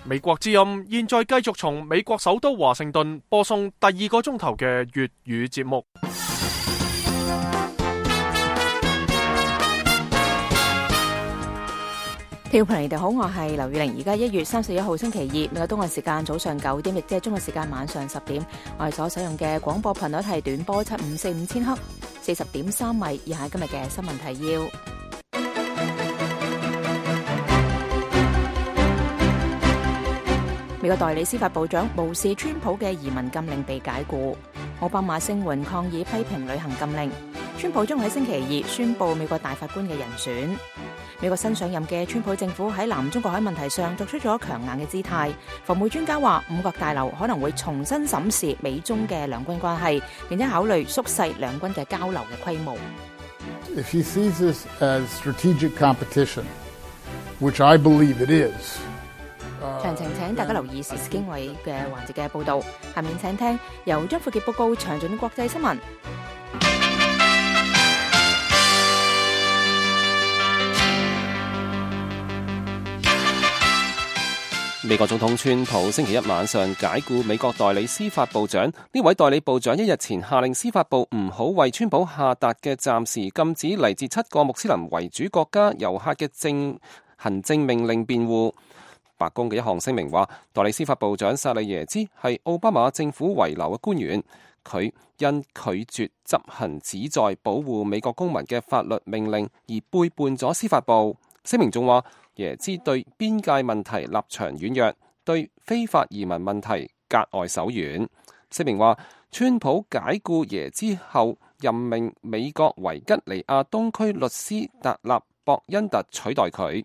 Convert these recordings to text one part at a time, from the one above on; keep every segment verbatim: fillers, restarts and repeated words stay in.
美國之音現在繼續從美國首都華盛頓播送第二個鐘頭嘅粵語節目。聽眾朋友，你哋好，我係劉宇玲。而家一月三十一號星期二，美國東岸時間早上九點，亦即係中國時間晚上十點。我哋所使用嘅廣播頻率係短波七五四五千赫，四十點三米。以下今日嘅新聞提要。美國代理司法部長無視川普嘅移民禁令被解雇，奧巴馬聲援抗議批評旅行禁令。川普將喺星期二宣布美國大法官嘅人選。美國新上任嘅川普政府喺南中國海問題上作出咗強硬嘅姿態。防務專家話，五角大樓可能會重新審視美中嘅兩軍關係，並且考慮縮細兩軍嘅交流嘅規模。If he sees this as strategic competition, which I believe it is.詳情請大家留意時事經緯嘅環節嘅報導。下面請聽由張富傑報告詳盡嘅國際新聞。美國總統川普星期一晚上解雇美國代理司法部長，呢位代理部長一日前下令司法部唔好為川普下達嘅暫時禁止嚟自七個穆斯林為主國家遊客嘅政行政命令辯護。白宮嘅一項聲明話，代理司法部長薩利耶茲係奧巴馬政府遺留嘅官員，佢因拒絕執行旨在保護美國公民嘅法律命令而背叛咗司法部。聲明仲話，耶茲對邊界問題立場軟弱，對非法移民問題格外手軟。聲明話，川普解雇耶茲後任命美國維吉尼亞東區律師達納博恩特取代佢。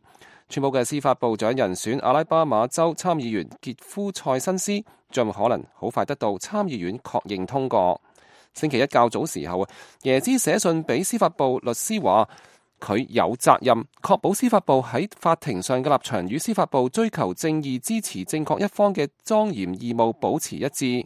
川普嘅司法部長人選阿拉巴馬州參議員傑夫塞辛斯將可能好快得到參議院確認通過。星期一較早時候，耶茲寫信俾司法部律師話，佢有責任確保司法部喺法庭上嘅立場與司法部追求正義、支持正確一方嘅莊嚴義務保持一致。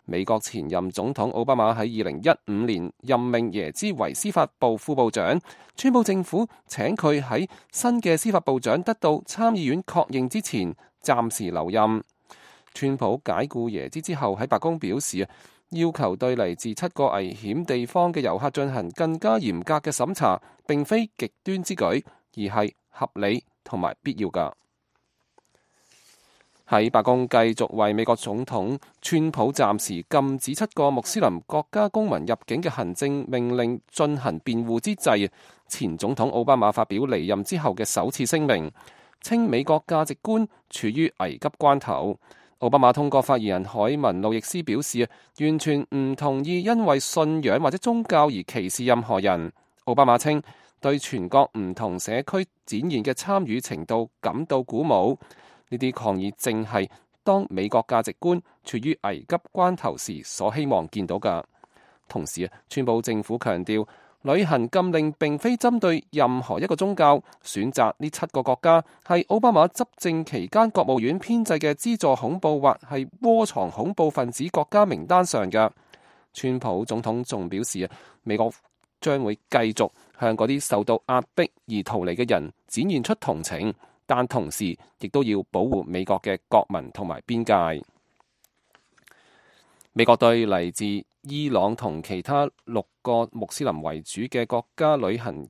美國前任總統奧巴馬喺二零一五年任命耶茲為司法部副部長，川普政府請佢喺新嘅司法部長得到參議院確認之前暫時留任。川普解雇耶茲之後喺白宮表示，要求對嚟自七個危險地方嘅遊客進行更加嚴格嘅審查，並非極端之舉，而係合理同埋必要㗎。喺白宮繼續為美國總統川普暫時禁止七個穆斯林國家公民入境嘅行政命令進行辯護之際，前總統奧巴馬發表離任之後嘅首次聲明，稱美國價值觀處於危急關頭。奧巴馬通過發言人海文路易斯表示，完全唔同意因為信仰或者宗教而歧視任何人。奧巴馬稱對全國唔同社區展現嘅參與程度感到鼓舞。呢啲抗議正係當美國價值觀處於危急關頭時所希望見到嘅。同時啊，川普政府強調，旅行禁令並非針對任何一個宗教，選擇呢七個國家係奧巴馬執政期間國務院編製嘅資助恐怖或係窩藏恐怖分子國家名單上嘅。川普總統仲表示啊，美國將會繼續向嗰啲受到壓迫而逃離嘅人展現出同情，但同時亦都要保護美國嘅國民同埋邊界。美國對嚟自伊朗同其他六個穆斯林為主嘅國家旅行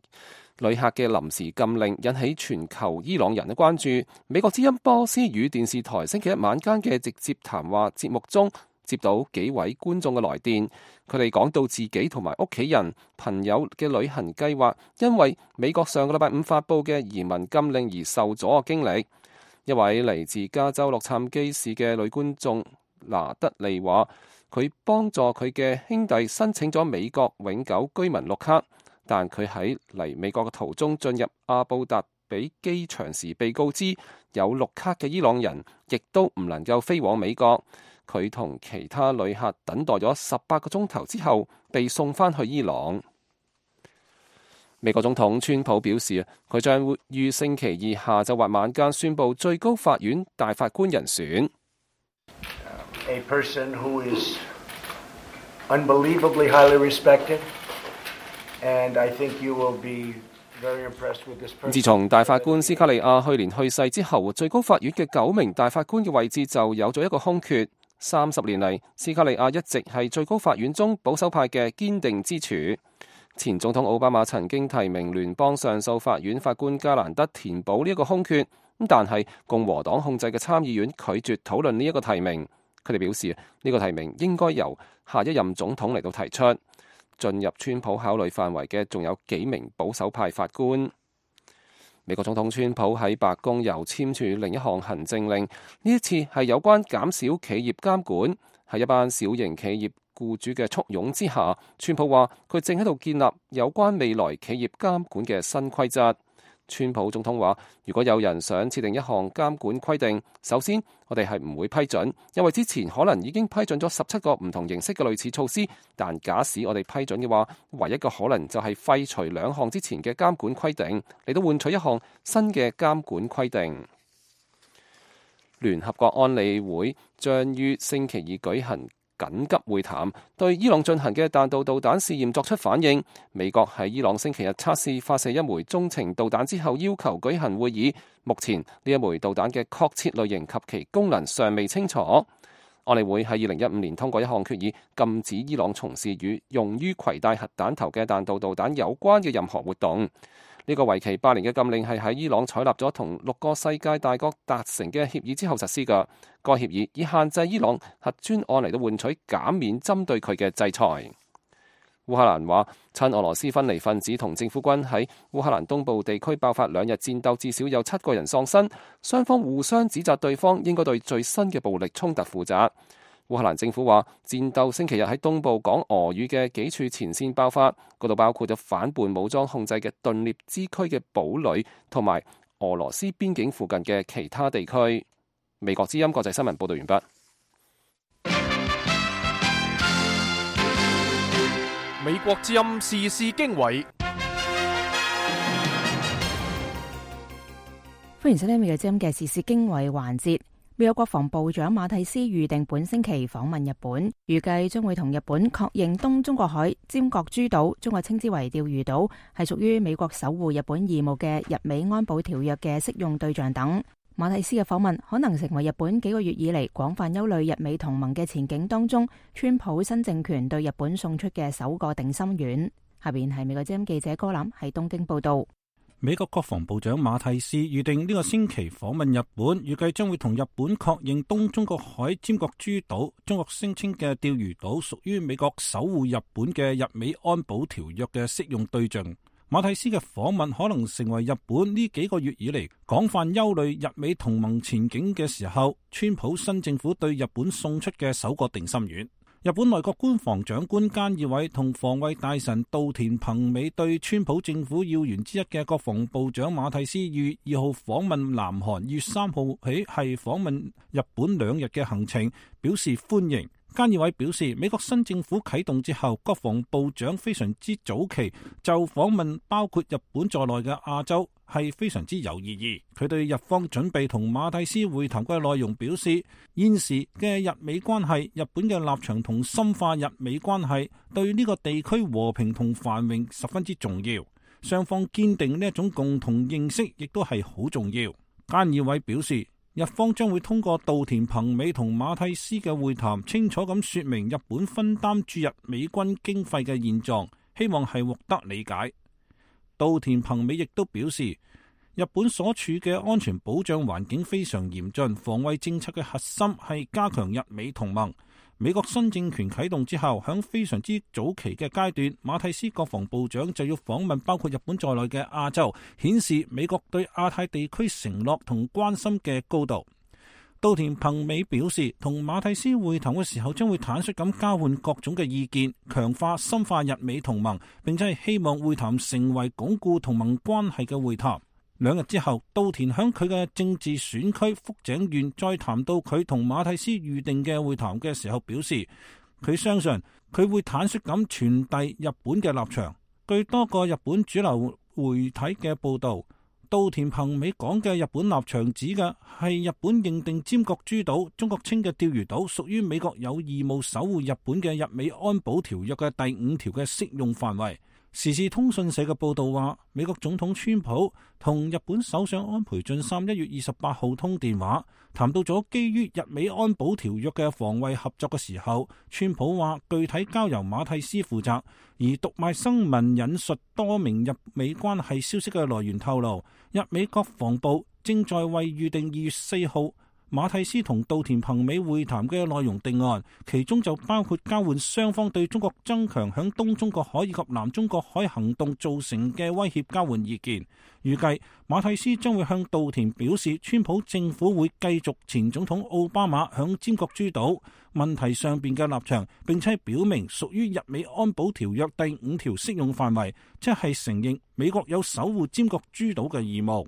旅客嘅臨時禁令引起全球伊朗人嘅關注。美國之音波斯語電視台星期一晚間嘅直接談話節目中，接到幾位觀眾嘅來電，佢哋講到自己同埋屋企人、朋友嘅旅行計劃因為美國上個禮拜五發佈嘅移民禁令而受阻嘅經歷。一位嚟自加州洛杉磯市嘅女觀眾拿德利話，佢幫助佢嘅兄弟申請咗美國永久居民綠卡，但佢喺嚟美國嘅途中進入阿布達比機場時被告知有綠卡嘅伊朗人亦都唔能夠飛往美國。佢同其他旅客等待咗十八個鐘頭之後被送返去伊朗。美國總統川普表示，佢將會於星期二下晝或晚間宣布最高法院大法官人選。A person who is unbelievably highly respected, and I think you will be very impressed with this person. 自從大法官斯卡利亞去年去世之後，最高法院嘅九名大法官嘅位置就有咗一個空缺。三十年嚟，斯卡利亞一直係最高法院中保守派嘅堅定支柱。前總統奧巴馬曾經提名聯邦上訴法院法官加蘭德填補呢一個空缺，但係共和黨控制嘅參議院拒絕討論呢一個提名。佢哋表示呢個提名應該由下一任總統嚟到提出。進入川普考慮範圍嘅仲有幾名保守派法官。美國總統川普喺白宮又簽署另一項行政令，呢一次係有關減少企業監管。喺一班小型企業僱主嘅簇擁之下，川普話佢正喺度建立有關未來企業監管嘅新規則。川普總統話，如果有人想設定一項監管規定，首先我哋係唔會批准，因為之前可能已經批准咗十七個唔同形式嘅類似措施。但假使我哋批准嘅話，唯一嘅可能就係廢除兩項之前嘅監管規定，嚟到換取一項新嘅監管規定。聯合國安理會將於星期二舉行緊急會談，對伊朗進行嘅彈道導彈試驗作出反應。美國喺伊朗星期日測試發射一枚中程導彈之後，要求舉行會議。目前呢一枚導彈嘅確切類型及其功能尚未清楚。安理會喺二零一五年通過一項決議，禁止伊朗從事與用於攜帶核彈頭嘅彈道導彈有關嘅任何活動。呢個為期八年嘅禁令係喺伊朗採納咗同六個世界大國達成嘅協議之後實施嘅。該協議以限制伊朗核專案嚟到換取減免針對佢嘅制裁。烏克蘭話，親俄羅斯分離分子同政府軍喺烏克蘭東部地區爆發兩日戰鬥，至少有七個人喪生。雙方互相指責對方應該對最新嘅暴力衝突負責。烏克蘭政府話，戰鬥星期日喺東部講俄語嘅幾處前線爆發，嗰度包括咗反叛武裝控制嘅頓涅茲區嘅堡壘，同埋俄羅斯邊境附近嘅其他地區。美國之音國際新聞報道完畢。美國之音時事經緯，歡迎收聽美國之音嘅時事經緯環節。美國國防部長馬蒂斯預定本星期訪問日本，預計將會同日本確認東中國海尖閣諸島，中國稱之為釣魚島，係屬於美國守護日本義務嘅日美安保條約嘅適用對象等。馬蒂斯嘅訪問可能成為日本幾個月以嚟廣泛憂慮日美同盟嘅前景當中，川普新政權對日本送出嘅首個定心丸。下邊係美國之音記者高林喺東京報道。美國國防部長馬蒂斯預定呢個星期訪問日本，預計將會同日本確認東中國海尖閣諸島，中國聲稱嘅釣魚島屬於美國守護日本嘅日美安保條約嘅適用對象。馬蒂斯嘅訪問可能成為日本呢幾個月以嚟廣泛憂慮日美同盟前景嘅時候，川普新政府對日本送出嘅首個定心丸。日本內閣官房長官菅義偉同防衛大臣稻田朋美對川普政府要員之一嘅國防部長馬蒂斯於二號訪問南韓，於三號起係訪問日本兩日嘅行程表示歡迎。菅義偉表示，美國新政府啟動之後，國防部長非常之早期就訪問包括日本在內嘅亞洲係非常之有意義。佢對日方準備同馬蒂斯會談嘅內容表示，現時嘅日美關係，日本嘅立場同深化日美關係對呢個地區和平同繁榮十分之重要，雙方堅定呢一種共同認識亦都係好重要。菅義偉表示，日方將會通過稻田朋美同馬蒂斯嘅會談，清楚咁說明日本分擔駐日美軍經費嘅現狀，希望係獲得理解。稻田朋美亦都表示，日本所處嘅安全保障環境非常嚴峻，防衛政策嘅核心係加強日美同盟。美國新政權啟動之後，響非常之早期嘅階段，馬蒂斯國防部長就要訪問包括日本在內嘅亞洲，顯示美國對亞太地區承諾同關心嘅高度。稻田朋美表示，同馬蒂斯會談嘅時候，將會坦率咁交換各種嘅意見，強化深化日美同盟，並且係希望會談成為鞏固同盟關係嘅會談。兩日之後，稻田響佢嘅政治選區福井縣再談到佢同馬蒂斯預定嘅會談嘅時候，表示佢相信佢會坦率咁傳遞日本嘅立場。據多個日本主流媒體嘅報道，稻田朋美講嘅日本立場指嘅係日本認定尖閣諸島，中國稱嘅釣魚島，屬於美國有義務守護日本嘅日美安保條約嘅第五條嘅適用範圍。時事通訊社嘅報道話，美國總統川普同日本首相安倍晉三一月二十八號通電話，談到咗基於日美安保條約嘅防衛合作嘅時候，川普話具體交由馬蒂斯負責，而讀賣新聞引述多名日美關係消息嘅來源透露，日美國防部正在為預定二月四號馬蒂斯同稻田朋美會談嘅內容定案，其中就包括交換雙方對中國增強響東中國海以及南中國海行動造成嘅威脅交換意見。預計馬蒂斯將會向稻田表示，川普政府會繼續前總統奧巴馬響尖閣諸島問題上邊嘅立場，並且表明屬於日美安保條約第五條適用範圍，即係承認美國有守護尖閣諸島嘅義務。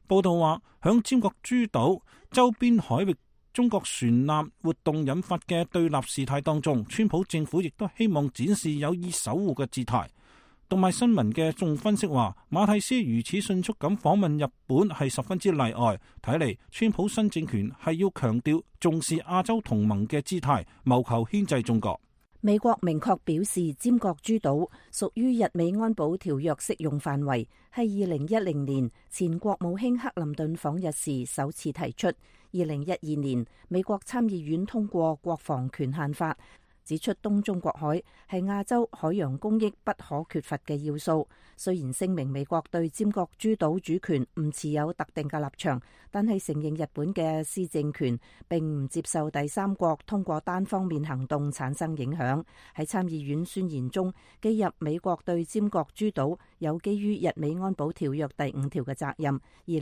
報道話，響尖閣諸島周邊海域中國船艦活動引發嘅對立事態當中，川普政府亦都希望展示有意守護嘅姿態。讀賣新聞嘅眾分析話，馬蒂斯如此迅速咁訪問日本係十分之例外，睇嚟川普新政權係要強調重視亞洲同盟嘅姿態，謀求牽制中國。美國明確表示，尖閣諸島屬於日美安保條約適用範圍，係二零一零年前國務卿克林頓訪日時首次提出。二零一二年，美國參議院通過國防權限法，指出東中國海係亞洲海洋公益不可缺乏嘅要素。雖然聲明美國對尖閣諸島主權唔持有特定嘅立場，但係承認日本嘅施政權，並唔接受第三國通過單方面行動產生影響。喺參議院宣言中記入美國對尖閣諸島有基於日美安保條約第五條嘅責任。二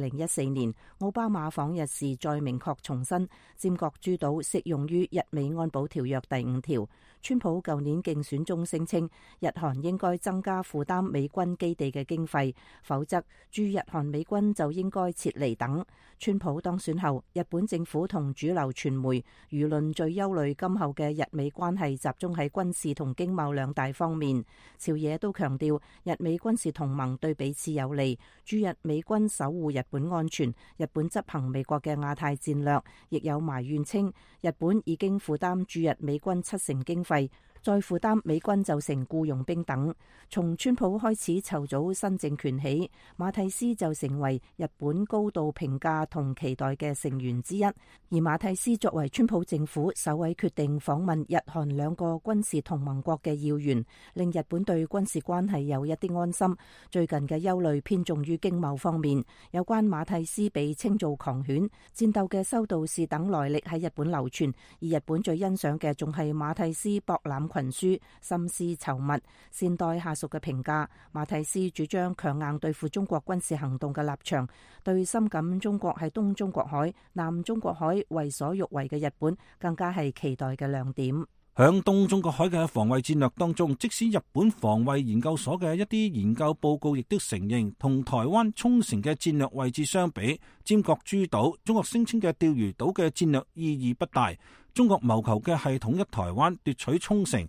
零一四年奧巴馬訪日時再明確重申，尖閣諸島適用於日美安保條約第五條。川普舊年競選中聲稱，日韓應該增加負擔美軍基地嘅經費，否則駐日韓美軍就應該撤離等。川普當選後，日本政府同主流傳媒輿論最憂慮今後嘅日美關係集中喺軍事同經貿兩大方面。朝野都強調日美軍事同盟對彼此有利，駐日美軍守護日本安全，日本執行美國嘅亞太戰略。亦有埋怨稱，日本已經負擔駐日美軍七成經費，再負擔美軍就成僱傭兵等。從川普開始籌組新政權起，馬蒂斯就成為日本高度評價同期待嘅成員之一。而馬蒂斯作為川普政府首位決定訪問日韓兩個軍事同盟國嘅要員，令日本對軍事關係有一啲安心。最近嘅憂慮偏重於經貿方面，有關馬蒂斯被稱做狂犬、戰鬥嘅修道士等來歷喺日本流傳，而日本最欣賞嘅仲係馬蒂斯博覽群書、心思稠密、善待下屬嘅評價。馬蒂斯主張強硬對付中國軍事行動嘅立場，對深感中國喺東中國海、南中國海為所欲為嘅日本更加係期待嘅亮點。響東中國海嘅防衛戰略當中，即使日本防衛研究所嘅一啲研究報告亦都承認，同台灣沖繩嘅戰略位置相比，尖閣諸島中國聲稱嘅釣魚島嘅戰略意義不大。中國謀求嘅係統一台灣、奪取沖繩，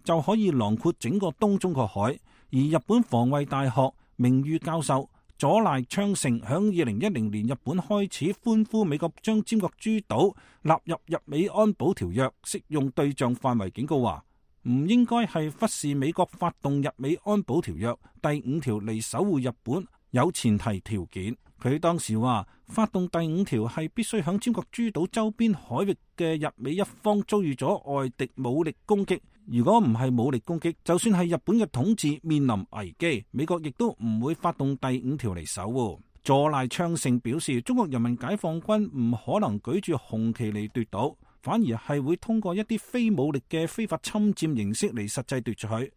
就可以囊括整個東中國海。而日本防衛大學名譽教授佐賴昌盛響二零一零年日本開始歡呼美國將尖閣諸島納入日美安保條約適用對象範圍，警告話唔應該係忽視美國發動日美安保條約第五條嚟守護日本有前提條件。佢當時話，發動第五條係必須響尖閣諸島周邊海域嘅日美一方遭遇咗外敵武力攻擊。如果唔係武力攻擊，就算係日本嘅統治面臨危機，美國亦都唔會發動第五條嚟守護。佐賴昌盛表示，中國人民解放軍唔可能舉住紅旗嚟奪島，反而係會通過一啲非武力嘅非法侵佔形式嚟實際奪取。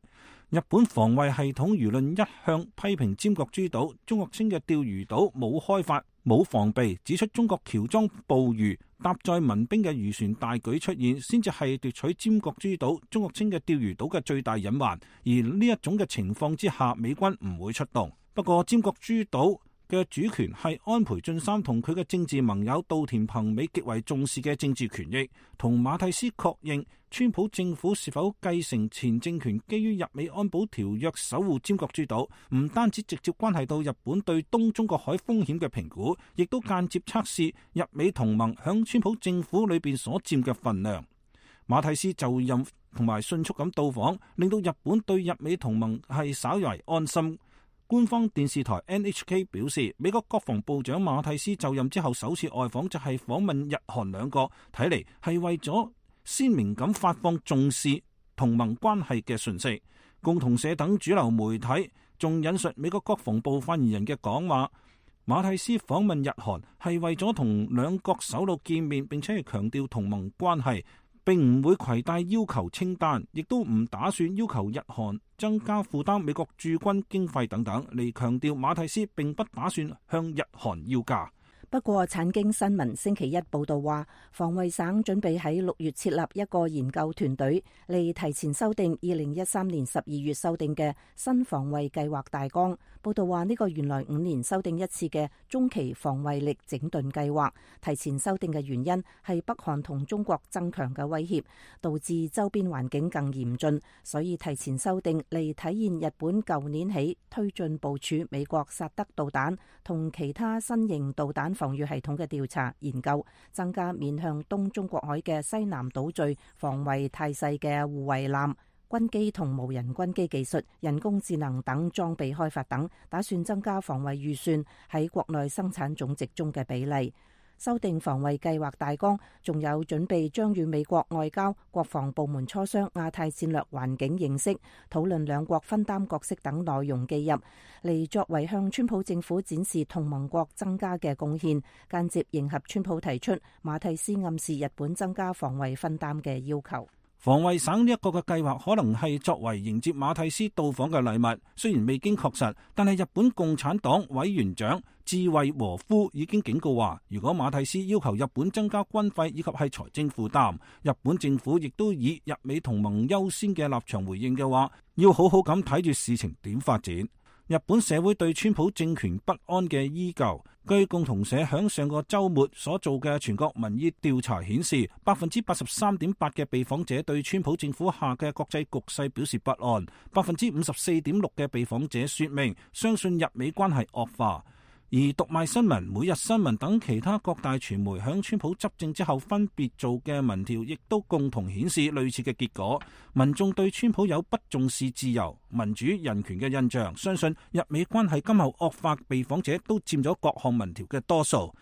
日本防衛系統輿論一向批評尖閣諸島，中國稱嘅釣魚島冇開發、冇防備，指出中國喬裝捕魚、搭載民兵嘅漁船大舉出現，先至係奪取尖閣諸島、中國稱嘅釣魚島嘅最大隱患。而呢一種嘅情況之下，美軍唔會出動。不過尖閣諸島嘅主權係安倍晉三同佢嘅政治盟友稻田朋美極為重視嘅政治權益。同馬蒂斯確認川普政府是否繼承前政權基於日美安保條約守護尖閣諸島，唔單止直接關係到日本對東中國海風險嘅評估，亦都間接測試日美同盟響川普政府裏邊所佔嘅份量。馬蒂斯就任同埋迅速咁到訪，令到日本對日美同盟係稍為安心。官方電視台 N H K 表示，美國國防部長馬蒂斯就任之後首次外訪就係訪問日韓兩國，睇嚟係為咗鮮明咁發放重視同盟關係嘅訊息。共同社等主流媒體仲引述美國國防部發言人嘅講話，馬蒂斯訪問日韓係為咗同兩國首腦見面，並且係強調同盟關係，並唔會攜帶要求清單，亦都唔打算要求日韓增加負擔美國駐軍經費等等，嚟強調馬蒂斯並不打算向日韓要價。不過，產經新聞星期一報道話，防衛省準備喺六月設立一個研究團隊，嚟提前修訂二零一三年十二月修訂嘅新防衛計劃大綱。報道話，呢個原來五年修訂一次嘅中期防衛力整頓計劃，提前修訂嘅原因係北韓同中國增強嘅威脅，導致周邊環境更嚴峻，所以提前修訂嚟體現日本舊年起推進部署美國薩德導彈同其他新型導彈防禦系統嘅調查研究，增加面向東中國海嘅西南島嶼防衛態勢嘅護衛艦、軍機同無人軍機技術、人工智能等裝備開發等，打算增加防衛預算喺國內生產總值中嘅比例。修訂防衛計劃大綱，仲有準備將與美國外交、國防部門磋商亞太戰略環境認識，討論兩國分擔角色等內容記入，嚟作為向川普政府展示同盟國增加嘅貢獻，間接迎合川普提出馬蒂斯暗示日本增加防衛分擔嘅要求。防衛省呢一個嘅計劃可能係作為迎接馬蒂斯到訪嘅禮物，雖然未經確實，但係日本共產黨委員長志惠和夫已經警告話，如果馬蒂斯要求日本增加軍費以及係財政負擔，日本政府亦都以日美同盟優先嘅立場回應嘅話，要好好咁睇住事情點發展。日本社會對川普政權不安嘅依舊，據共同社響上個週末所做嘅全國民意調查顯示，百分之八十三點八嘅被訪者對川普政府下嘅國際局勢表示不安，百分之五十四點六嘅被訪者說明相信日美關係惡化。而讀賣新聞、每日新聞等其他各大傳媒響川普執政之後分別做嘅民調，亦都共同顯示類似嘅結果。民眾對川普有不重視自由、民主、人權嘅印象，相信日美關係今後惡化，被訪者都佔咗各項民調嘅多數。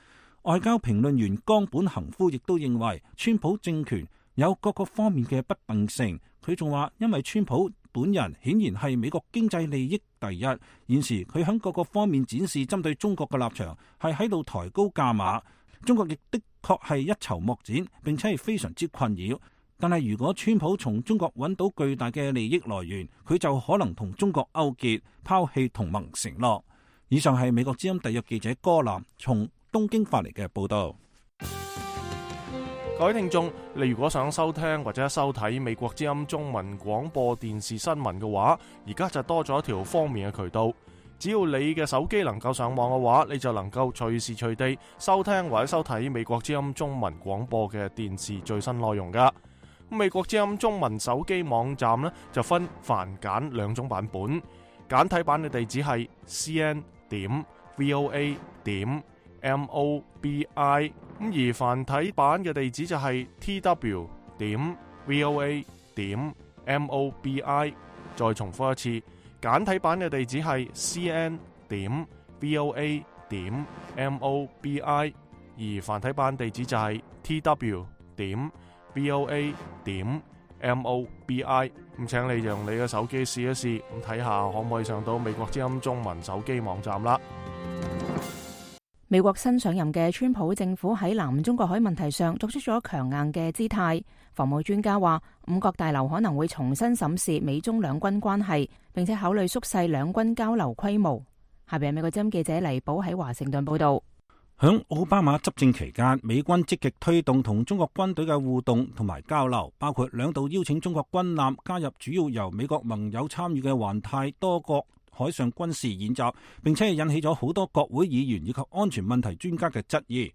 外交評論員岡本恒夫亦都認為，川普政權有各個方面嘅不定性。佢仲話，因為川普本人顯然係美國經濟利益第一，現時佢喺各個方面展示針對中國嘅立場，係喺度抬高價碼。中國亦的確係一籌莫展，並且係非常之困擾。但係如果川普從中國揾到巨大嘅利益來源，佢就可能同中國勾結，拋棄同盟承諾。以上係美國之音特約記者柯南從東京發嚟嘅報道。各位聽眾，你如果想收聽或者收睇美國之音中文廣播電視新聞嘅話，而家就多咗一條方便嘅渠道。只要你嘅手機能夠上網嘅話，你就能夠隨時隨地收聽或者收睇美國之音中文廣播嘅電視最新內容噶。美國之音中文手機網站呢，就分繁簡兩種版本，簡體版嘅地址係 c n 點 v o a 點 m o b i， 咁而繁體版嘅地址就係 t w 點 v o a 點 m o b i。 再重複一次，簡體版嘅地址係 c n 點 v o a 點 m o b i， 而繁體版地址就係 t w 點 v o a 點 m o b i。 咁請你用你嘅手機試一試，咁睇下可唔可以上到美國之音中文手機網站啦。美國新上任嘅川普政府喺南中國海問題上作出咗強硬嘅姿態。防務專家話，五角大樓可能會重新審視美中兩軍關係，並且考慮縮細兩軍交流規模。下邊係美國之音記者黎寶喺華盛頓報道。響奧巴馬執政期間，美軍積極推動同中國軍隊嘅互動同埋交流，包括兩度邀請中國軍艦加入主要由美國盟友參與嘅環太多國海上軍事演習，並且引起咗好多國會議員以及安全問題專家嘅質疑。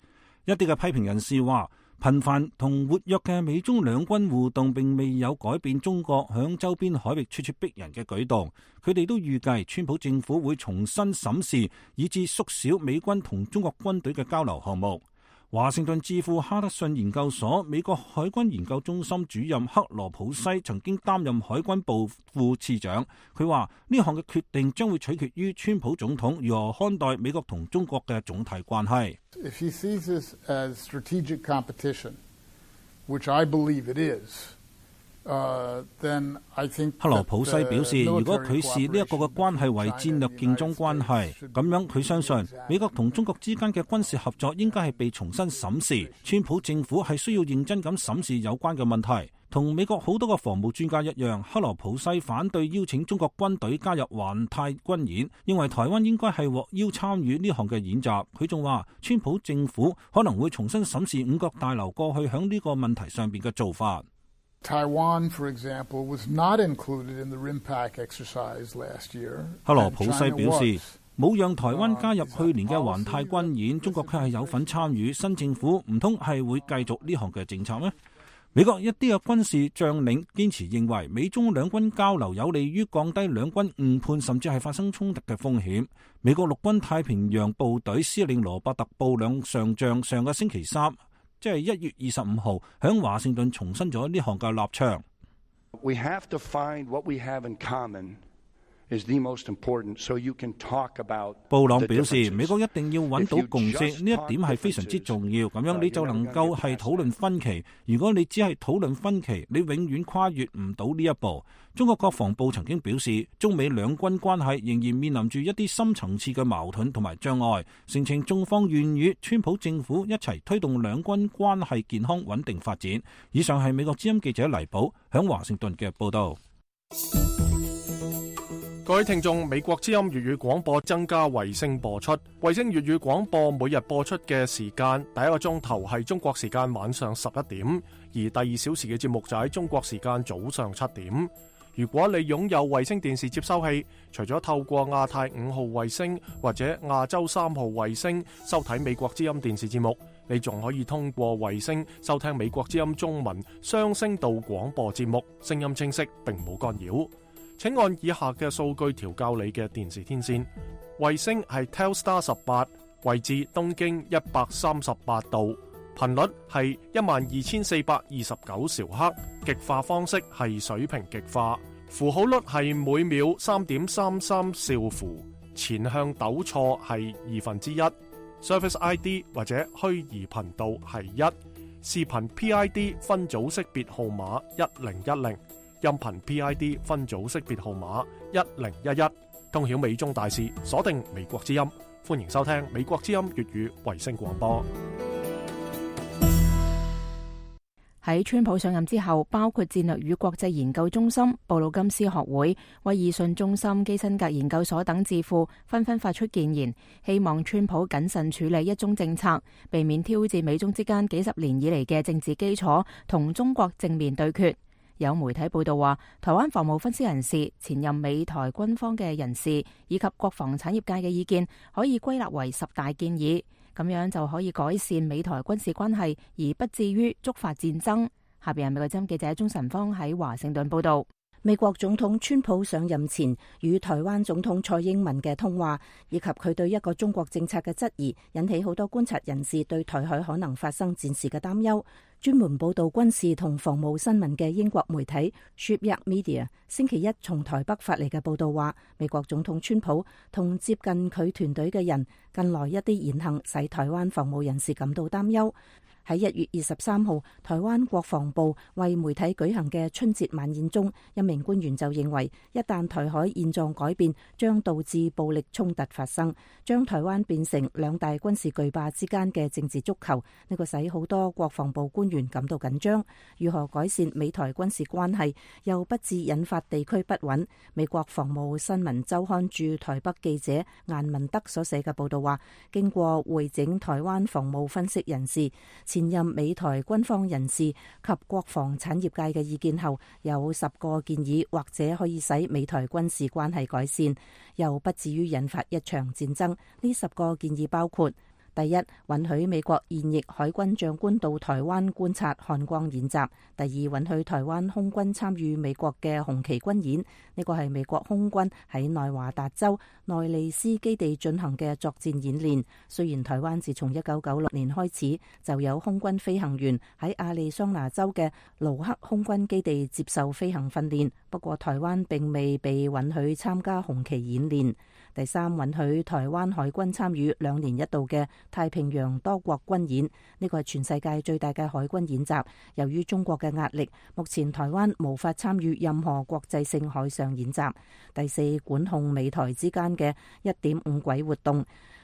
一啲嘅批評人士話，頻繁同活躍嘅美中兩軍互動並未有改變中國響周邊海域咄咄逼人嘅舉動。佢哋都預計川普政府會重新審視以至縮小美軍同中國軍隊嘅交流項目。華盛頓智庫哈德遜研究所美國海軍研究中心主任克羅普西曾經擔任海軍部副次長，佢話呢項嘅決定將會取決於川普總統如何看待美國同中國嘅總體關係。If he sees this as strategic competition, which I believe it is, Uh, then I think 克羅普西表示，如果佢視呢一個嘅關係為戰略競爭關係，咁樣佢相信美國同中國之間嘅軍事合作應該係被重新審視。川普政府係需要認真咁審視有關嘅問題。同美國好多個防務專家一樣，克羅普西反對邀請中國軍隊加入環太軍演，認為台灣應該係獲邀參與呢項嘅演習。佢仲話，川普政府可能會重新審視五角大樓過去響呢個問題上邊嘅做法。Taiwan, for example, was not included in the RIMPAC exercise last year. 克羅普西表示，冇讓台灣加入去年嘅環太軍演，中國卻係有份參與。新政府唔通係會繼續呢項嘅政策咩？美國一啲嘅軍事將領堅持認為，美中兩軍交流有利於降低兩軍誤判甚至係發生衝突嘅風險。美國陸軍太平洋部隊司令羅伯特布兩上將上個星期三，即係一月二十五號，響華盛頓重申咗呢項嘅立場。We have to find what we have in common is the most important, so you can talk about. 布朗表示，美國一定要揾到共識，呢一點係非常之重要。咁樣你就能夠係討論分歧。如果你只係討論分歧，你永遠跨越唔到呢一步。中國國防部曾經表示，中美兩軍關係仍然面臨住一啲深層次嘅矛盾同埋障礙，聲稱中方願與川普政府一齊推動兩軍關係健康穩定發展。以上係美國之音記者黎寶響華盛頓嘅報道。各位聽眾，美國之音粵語廣播增加衛星播出，衛星粵語廣播每日播出嘅時間，第一個鐘頭係中國時間晚上十一點，而第二小時嘅節目就喺中國時間早上七點。如果你擁有衛星電視接收器，除咗透過亞太五號衛星或者亞洲三號衛星收睇美國之音電視節目，你仲可以通過衛星收聽美國之音中文雙聲道廣播節目，聲音清晰並冇干擾。請按以下嘅數據調校你嘅電視天線。衛星係 Telstar 十八，位置東經一百三十八度，頻率係一萬二千四百二十九兆赫，極化方式係水平極化，符號率係每秒三點三三兆符，前向抖錯係二分之一，Service I D 或者虛擬頻道係一，視頻 P I D 分組識別號碼一零一零。音頻 P I D 分組識別號碼一零一一，通曉美中大事，鎖定美國之音，歡迎收聽美國之音粵語衛星廣播。喺川普上任之後，包括戰略與國際研究中心、布魯金斯學會、威爾遜中心、基辛格研究所等智庫紛紛發出建言，希望川普謹慎處理一中政策，避免挑戰美中之間幾十年以嚟嘅政治基礎，同中國正面對決。有媒體報道話，台灣防務分析人士、前任美台軍方嘅人士以及國防產業界嘅意見可以歸納為十大建議，咁樣就可以改善美台軍事關係，而不至於觸發戰爭。下邊係美國之音記者鍾晨芳喺華盛頓報道。美國總統川普上任前與台灣總統蔡英文嘅通話，以及佢對一個中國政策嘅質疑，引起好多觀察人士對台海可能發生戰事嘅擔憂。專門報道軍事同防務新聞嘅英國媒體 Shipyard Media 星期一從台北發嚟嘅報道話，美國總統川普同接近佢團隊嘅人近來一啲言行使台灣防務人士感到擔憂。喺一月二十三號，台灣國防部為媒體舉行嘅春節晚宴中，一名官員就認為，一旦台海現狀改變，將導致暴力衝突發生，將台灣變成兩大軍事巨霸之間嘅政治足球。呢個使好多國防部官員感到緊張。如何改善美台軍事關係，又不致引發地區不穩？美國防務新聞週刊駐台北記者顏文德所寫嘅報道話，經過會整台灣防務分析人士、前任美台軍方人士及國防產業界嘅意見後，有十個建議或者可以使美台軍事關係改善，又不至於引發一場戰爭。呢十個建議包括：第一，允許美國現役海軍長官到台灣觀察漢光演習；第二，允許台灣空軍參與美國嘅紅旗軍演。呢個係美國空軍喺內華達州內利斯基地進行嘅作戰演練。雖然台灣自從一九九六年開始就有空軍飛行員喺亞利桑那州嘅盧克空軍基地接受飛行訓練，不過台灣並未被允許參加紅旗演練。第三，允許台灣海軍參與兩年一度嘅太平洋多國軍演，呢個係全世界最大嘅海軍演習。由於中國嘅壓力，目前台灣無法參與任何國際性海上演習。第四，管控美台之間嘅一點五軌活動，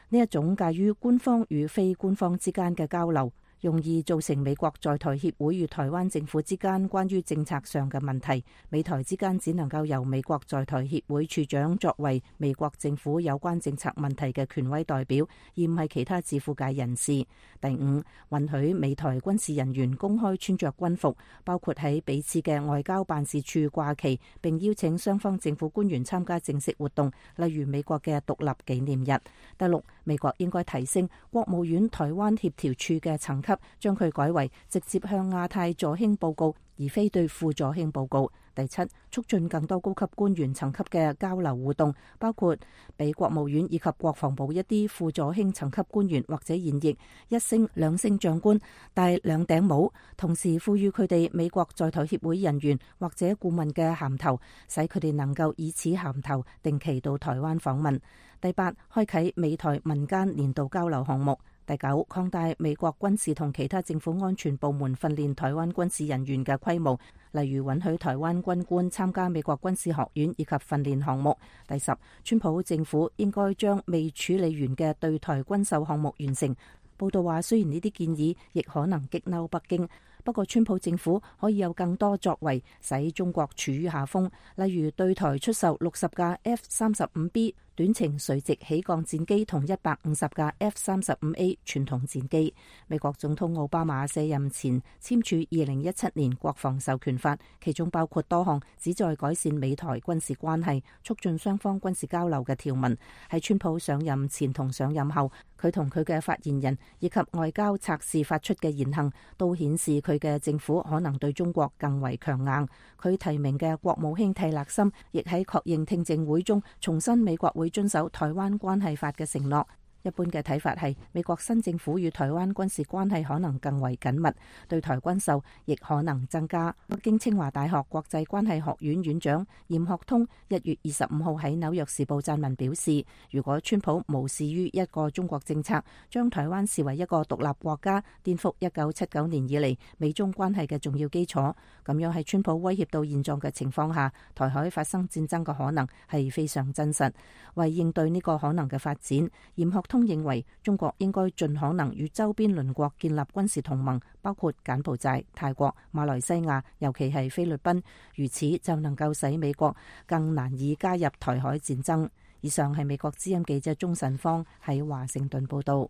呢一種介於官方與非官方之間嘅交流，容易造成美國在台協會與台灣政府之間關於政策上嘅問題。美台之間只能夠由美國在台協會處長作為美國政府有關政策問題嘅權威代表，而唔係其他自負界人士。第五，允許美台軍事人員公開穿着軍服，包括喺彼此嘅外交辦事處掛旗，並邀請雙方政府官員參加正式活動，例如美國嘅獨立紀念日。第六，美國應該提升國務院台灣協調處嘅層級，將佢改為直接向亞太助興報告，而非對副助興報告。第七，促進更多高級官員層級嘅交流互動，包括俾國務院以及國防部一啲副助興層級官員或者現役一星、兩星長官戴兩頂帽，同時賦予佢哋美國在台協會人員或者顧問嘅銜頭，使佢哋能夠以此銜頭定期到台灣訪問。第八，開啟美台民間年度交流項目。第九，擴大美國軍事同其他政府安全部門訓練台灣軍事人員嘅規模，例如允許台灣軍官參加美國軍事學院以及訓練項目。第十，川普政府應該將未處理完嘅對台軍售項目完成。報道話，雖然呢啲建議亦可能激嬲北京，不過川普政府可以有更多作為，使中國處於下風，例如對台出售六十架 F 三十五 B 短程垂直起降戰機同一百五十架 F 三十五 A 傳統戰機。美國總統奧巴馬卸任前簽署二零一七年國防授權法，其中包括多項旨在改善美台軍事關係、促進雙方軍事交流嘅條文。喺川普上任前同上任後，佢同佢嘅發言人以及外交測試發出嘅言行，都顯示佢嘅政府可能對中國更為強硬。佢提名嘅國務卿蒂勒森亦喺確認聽證會中重申美國會遵守台灣關係法嘅承諾。一般嘅睇法係，美國新政府與台灣軍事關係可能更為緊密，對台軍售亦可能增加。北京清華大學國際關係學院院長嚴學通一月二十五號喺紐約時報撰文表示，如果川普無視於一個中國政策，將台灣視為一個獨立國家，顛覆一九七九年以嚟美中關係嘅重要基礎，咁樣喺川普威脅到現狀嘅情況下，台海發生戰爭嘅可能係非常真實。為應對呢個可能嘅發展，嚴學通認為中國應該盡可能與周邊鄰國建立軍事同盟，包括柬埔寨、泰國、馬來西亞，尤其係菲律賓，如此就能夠使美國更難以加入台海戰爭。以上係美國之音記者鍾晨芳喺華盛頓報道。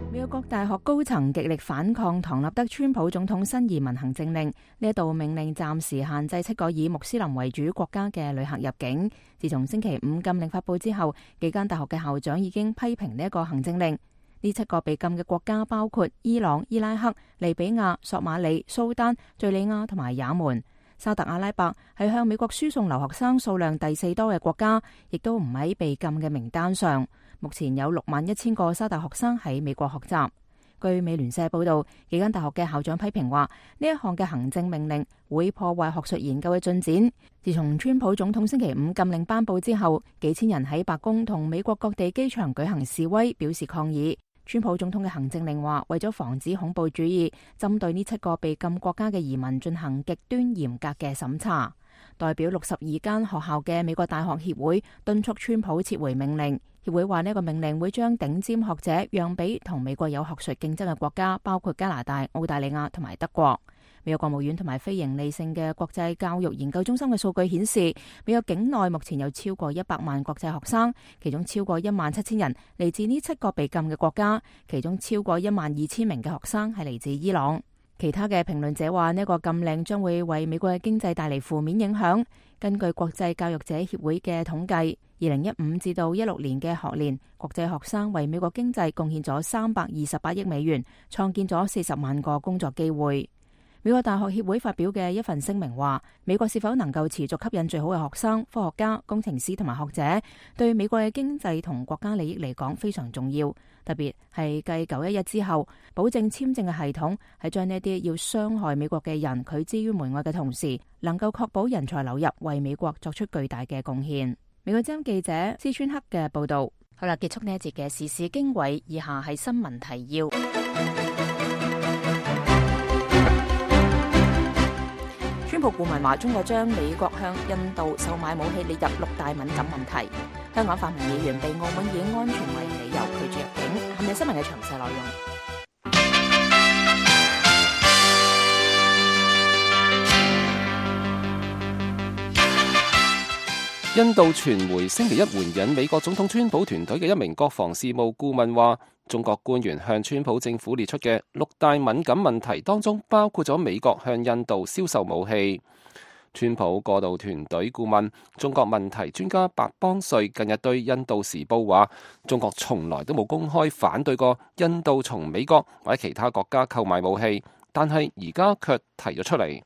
美國各大學高層極力反抗唐納德川普總統新移民行政令，呢一道命令暫時限制七個以穆斯林為主國家嘅旅客入境。自從星期五禁令發佈之後，幾間大學嘅校長已經批評呢一個行政令。呢七個被禁嘅國家包括伊朗、伊拉克、利比亞、索馬里、蘇丹、敘利亞同埋也門。沙特阿拉伯係向美國輸送留學生數量第四多嘅國家，亦都唔喺被禁嘅名單上。目前有六萬一千個沙特學生喺美國學習。據美聯社報道，幾間大學嘅校長批評話，呢一項嘅行政命令會破壞學術研究嘅進展。自從川普總統星期五禁令頒布之後，幾千人喺白宮同美國各地機場舉行示威，表示抗議。川普總統嘅行政令話，為咗防止恐怖主義，針對呢七個被禁國家嘅移民進行極端嚴格嘅審查。代表六十二間學校嘅美國大學協會敦促川普撤回命令。協會話呢個命令會將頂尖學者讓俾同美國有學術競爭嘅國家，包括加拿大、澳大利亞同埋德國。美國國務院同埋非營利性嘅國際教育研究中心嘅數據顯示，美國境內目前有超過一百萬國際學生，其中超過一萬七千人嚟自呢七個被禁嘅國家，其中超過一萬二千名嘅學生係嚟自伊朗。其他嘅評論者話，呢個禁令將會為美國嘅經濟帶嚟負面影響。根據國際教育者協會嘅統計，二零一五至到一六年嘅學年，國際學生為美國經濟貢獻咗三百二十八億美元，創建咗四十萬個工作機會。美國大學協會發表嘅一份聲明話，美國是否能夠持續吸引最好嘅學生、科學家、工程師同埋學者，對美國嘅經濟同國家利益嚟講非常重要。特別係繼九一一之後，保證簽證嘅系統係將呢啲要傷害美國嘅人拒之於門外嘅同時，能夠確保人才流入，為美國作出巨大嘅貢獻。美國之音記者施川克嘅報道。好啦，結束呢一節嘅時事經緯，以下係新聞提要。川普顧問話，中國將美國向印度售賣武器列入六大敏感問題。香港泛民議員被澳門以安全為理由拒絕入境。下面新聞嘅詳細內容。印度傳媒星期一援引美國總統川普團隊嘅一名國防事務顧問話，中國官員向川普政府列出嘅六大敏感問題當中，包括咗美國向印度銷售武器。川普過渡團隊顧問、中國問題專家白邦瑞近日對印度時報話，中國從來都冇公開反對過印度從美國或者其他國家購買武器，但係而家卻提咗出嚟。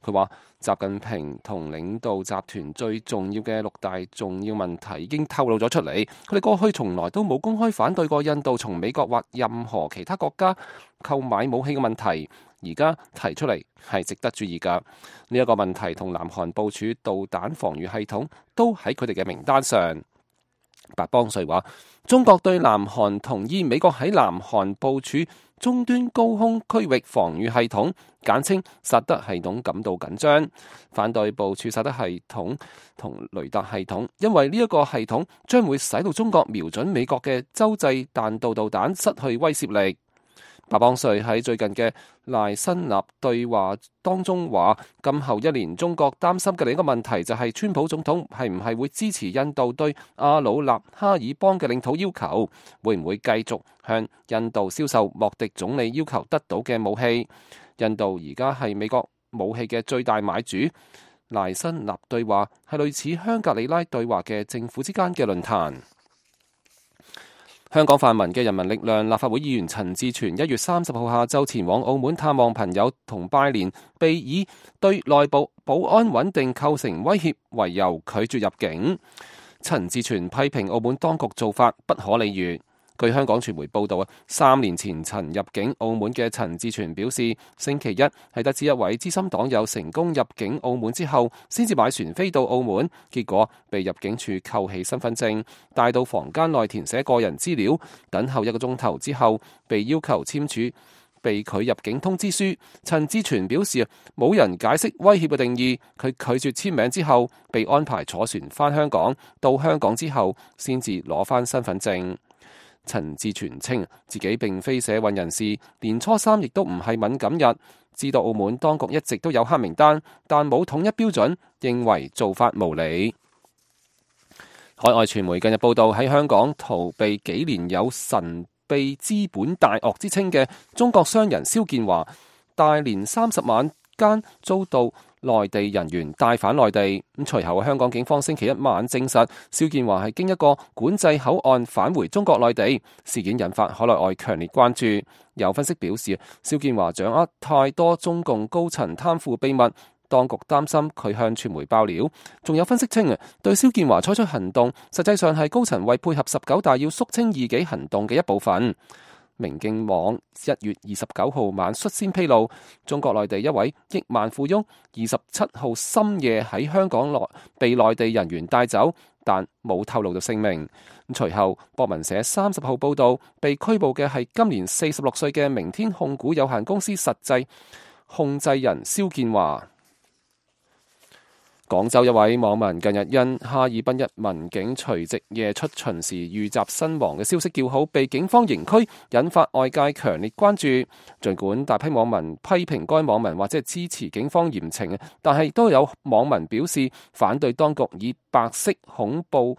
佢話習近平同領導集團最重要嘅六大重要問題已經透露咗出嚟，佢哋過去從來都冇公開反對過印度從美國或任何其他國家購買武器嘅問題，而家提出嚟係值得注意㗎。呢一個問題同南韓部署導彈防禦系統都喺佢哋嘅名單上。白邦瑞話，中國對南韓同意美國喺南韓部署終端高空區域防禦系統，簡稱薩德系統感到緊張，反對部署薩德系統同雷達系統，因為呢一個系統將會使到中國瞄準美國嘅洲際彈道導彈失去威懾力。白邦瑞喺最近嘅賴辛納對話當中話，今後一年中國擔心嘅另一個問題就係川普總統係唔係會支持印度對阿魯納哈爾邦嘅領土要求，會唔會繼續向印度銷售莫迪總理要求得到嘅武器。印度而家係美國武器嘅最大買主。賴辛納對話係類似香格里拉對話嘅政府之間嘅論壇。香港泛民嘅人民力量立法會議員陳志全一月三十號下晝前往澳門探望朋友同拜年，被以對內部保安穩定構成威脅為由拒絕入境。陳志全批評澳門當局做法不可理喻。據香港傳媒報道啊，三年前曾入境澳門嘅陳志全表示，星期一係得知一位資深黨友成功入境澳門之後，先至買船飛到澳門，結果被入境處扣起身份證，帶到房間內填寫個人資料，等候一個鐘頭之後，被要求簽署被拒入境通知書。陳志全表示，冇人解釋威脅嘅定義，佢拒絕簽名之後，被安排坐船返香港，到香港之後先至攞返身份證。陳志全稱自己並非社運人士，年初三亦都唔係敏感日，知道澳門當局一直都有黑名單，但冇統一標準，認為做法無理。海外傳媒近日報道，喺香港逃避幾年有神秘資本大鱷之稱嘅中國商人蕭建華，大年三十晚間遭到內地人員帶返內地。咁隨後香港警方星期一晚證實，蕭建華係經一個管制口岸返回中國內地。事件引發海內外強烈關注。有分析表示，蕭建華掌握太多中共高層貪腐秘密，當局擔心佢向傳媒爆料。仲有分析稱，對蕭建華採取行動，實際上係高層為配合十九大要肅清異己行動嘅一部分。明鏡網一月二十九號晚率先披露，中國內地一位億萬富翁二十七號深夜喺香港內被內地人員帶走，但冇透露到姓名。隨後博文社三十號報道，被拘捕嘅係今年四十六歲嘅明天控股有限公司實際控制人蕭建華。廣州一位網民近日因哈爾濱一民警除夕夜出巡時遇襲身亡嘅消息叫好，被警方刑拘，引發外界強烈關注。儘管大批網民批評該網民或者係支持警方嚴懲，但係都有網民表示反對當局以白色恐怖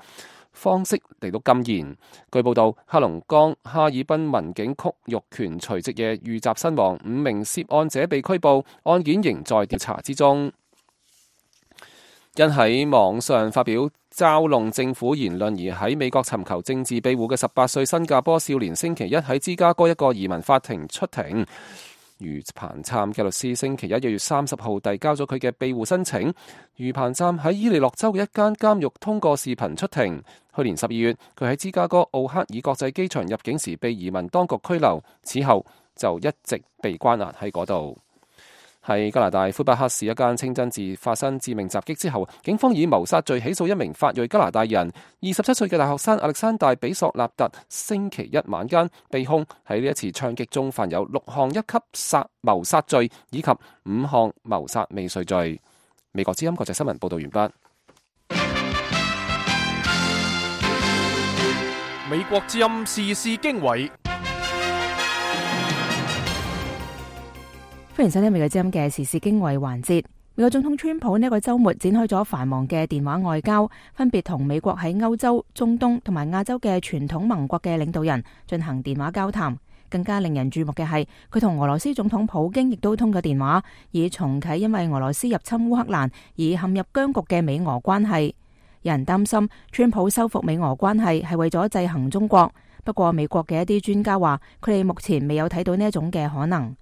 方式嚟到禁言。據報道，黑龍江哈爾濱民警曲玉權除夕夜遇襲身亡，五名涉案者被拘捕，案件仍在調查之中。因喺網上發表嘲弄政府言論而喺美國尋求政治庇護嘅十八歲新加坡少年，星期一喺芝加哥一個移民法庭出庭。余彭琛嘅律師星期一一月三十號遞交咗佢嘅庇護申請。余彭琛喺伊利諾州嘅一間監獄通過視頻出庭。去年十二月，佢喺芝加哥奧克爾國際機場入境時被移民當局拘留，此後就一直被關押喺嗰度。喺加拿大魁北克市一間清真寺發生致命襲擊之後，警方以謀殺罪起訴一名法裔加拿大人。二十七歲嘅大學生亞歷山大比索納特星期一晚間被控喺呢一次槍擊中犯有六項一級殺謀殺罪以及五項謀殺未遂罪。美國之音國際新聞報道完畢。美國之音時事經緯。歡迎收聽美國之音嘅時事經緯環節。美國總統川普呢個週末展開咗繁忙嘅電話外交，分別同美國喺歐洲、中東同埋亞洲嘅傳統盟國嘅領導人進行電話交談。更加令人注目嘅係，佢同俄羅斯總統普京亦都通過電話，以重啟因為俄羅斯入侵烏克蘭而陷入僵局嘅美俄關係。有人擔心川普修復美俄關係係為咗制衡中國，不過美國嘅一啲專家話，佢哋目前未有睇到呢一種嘅可能。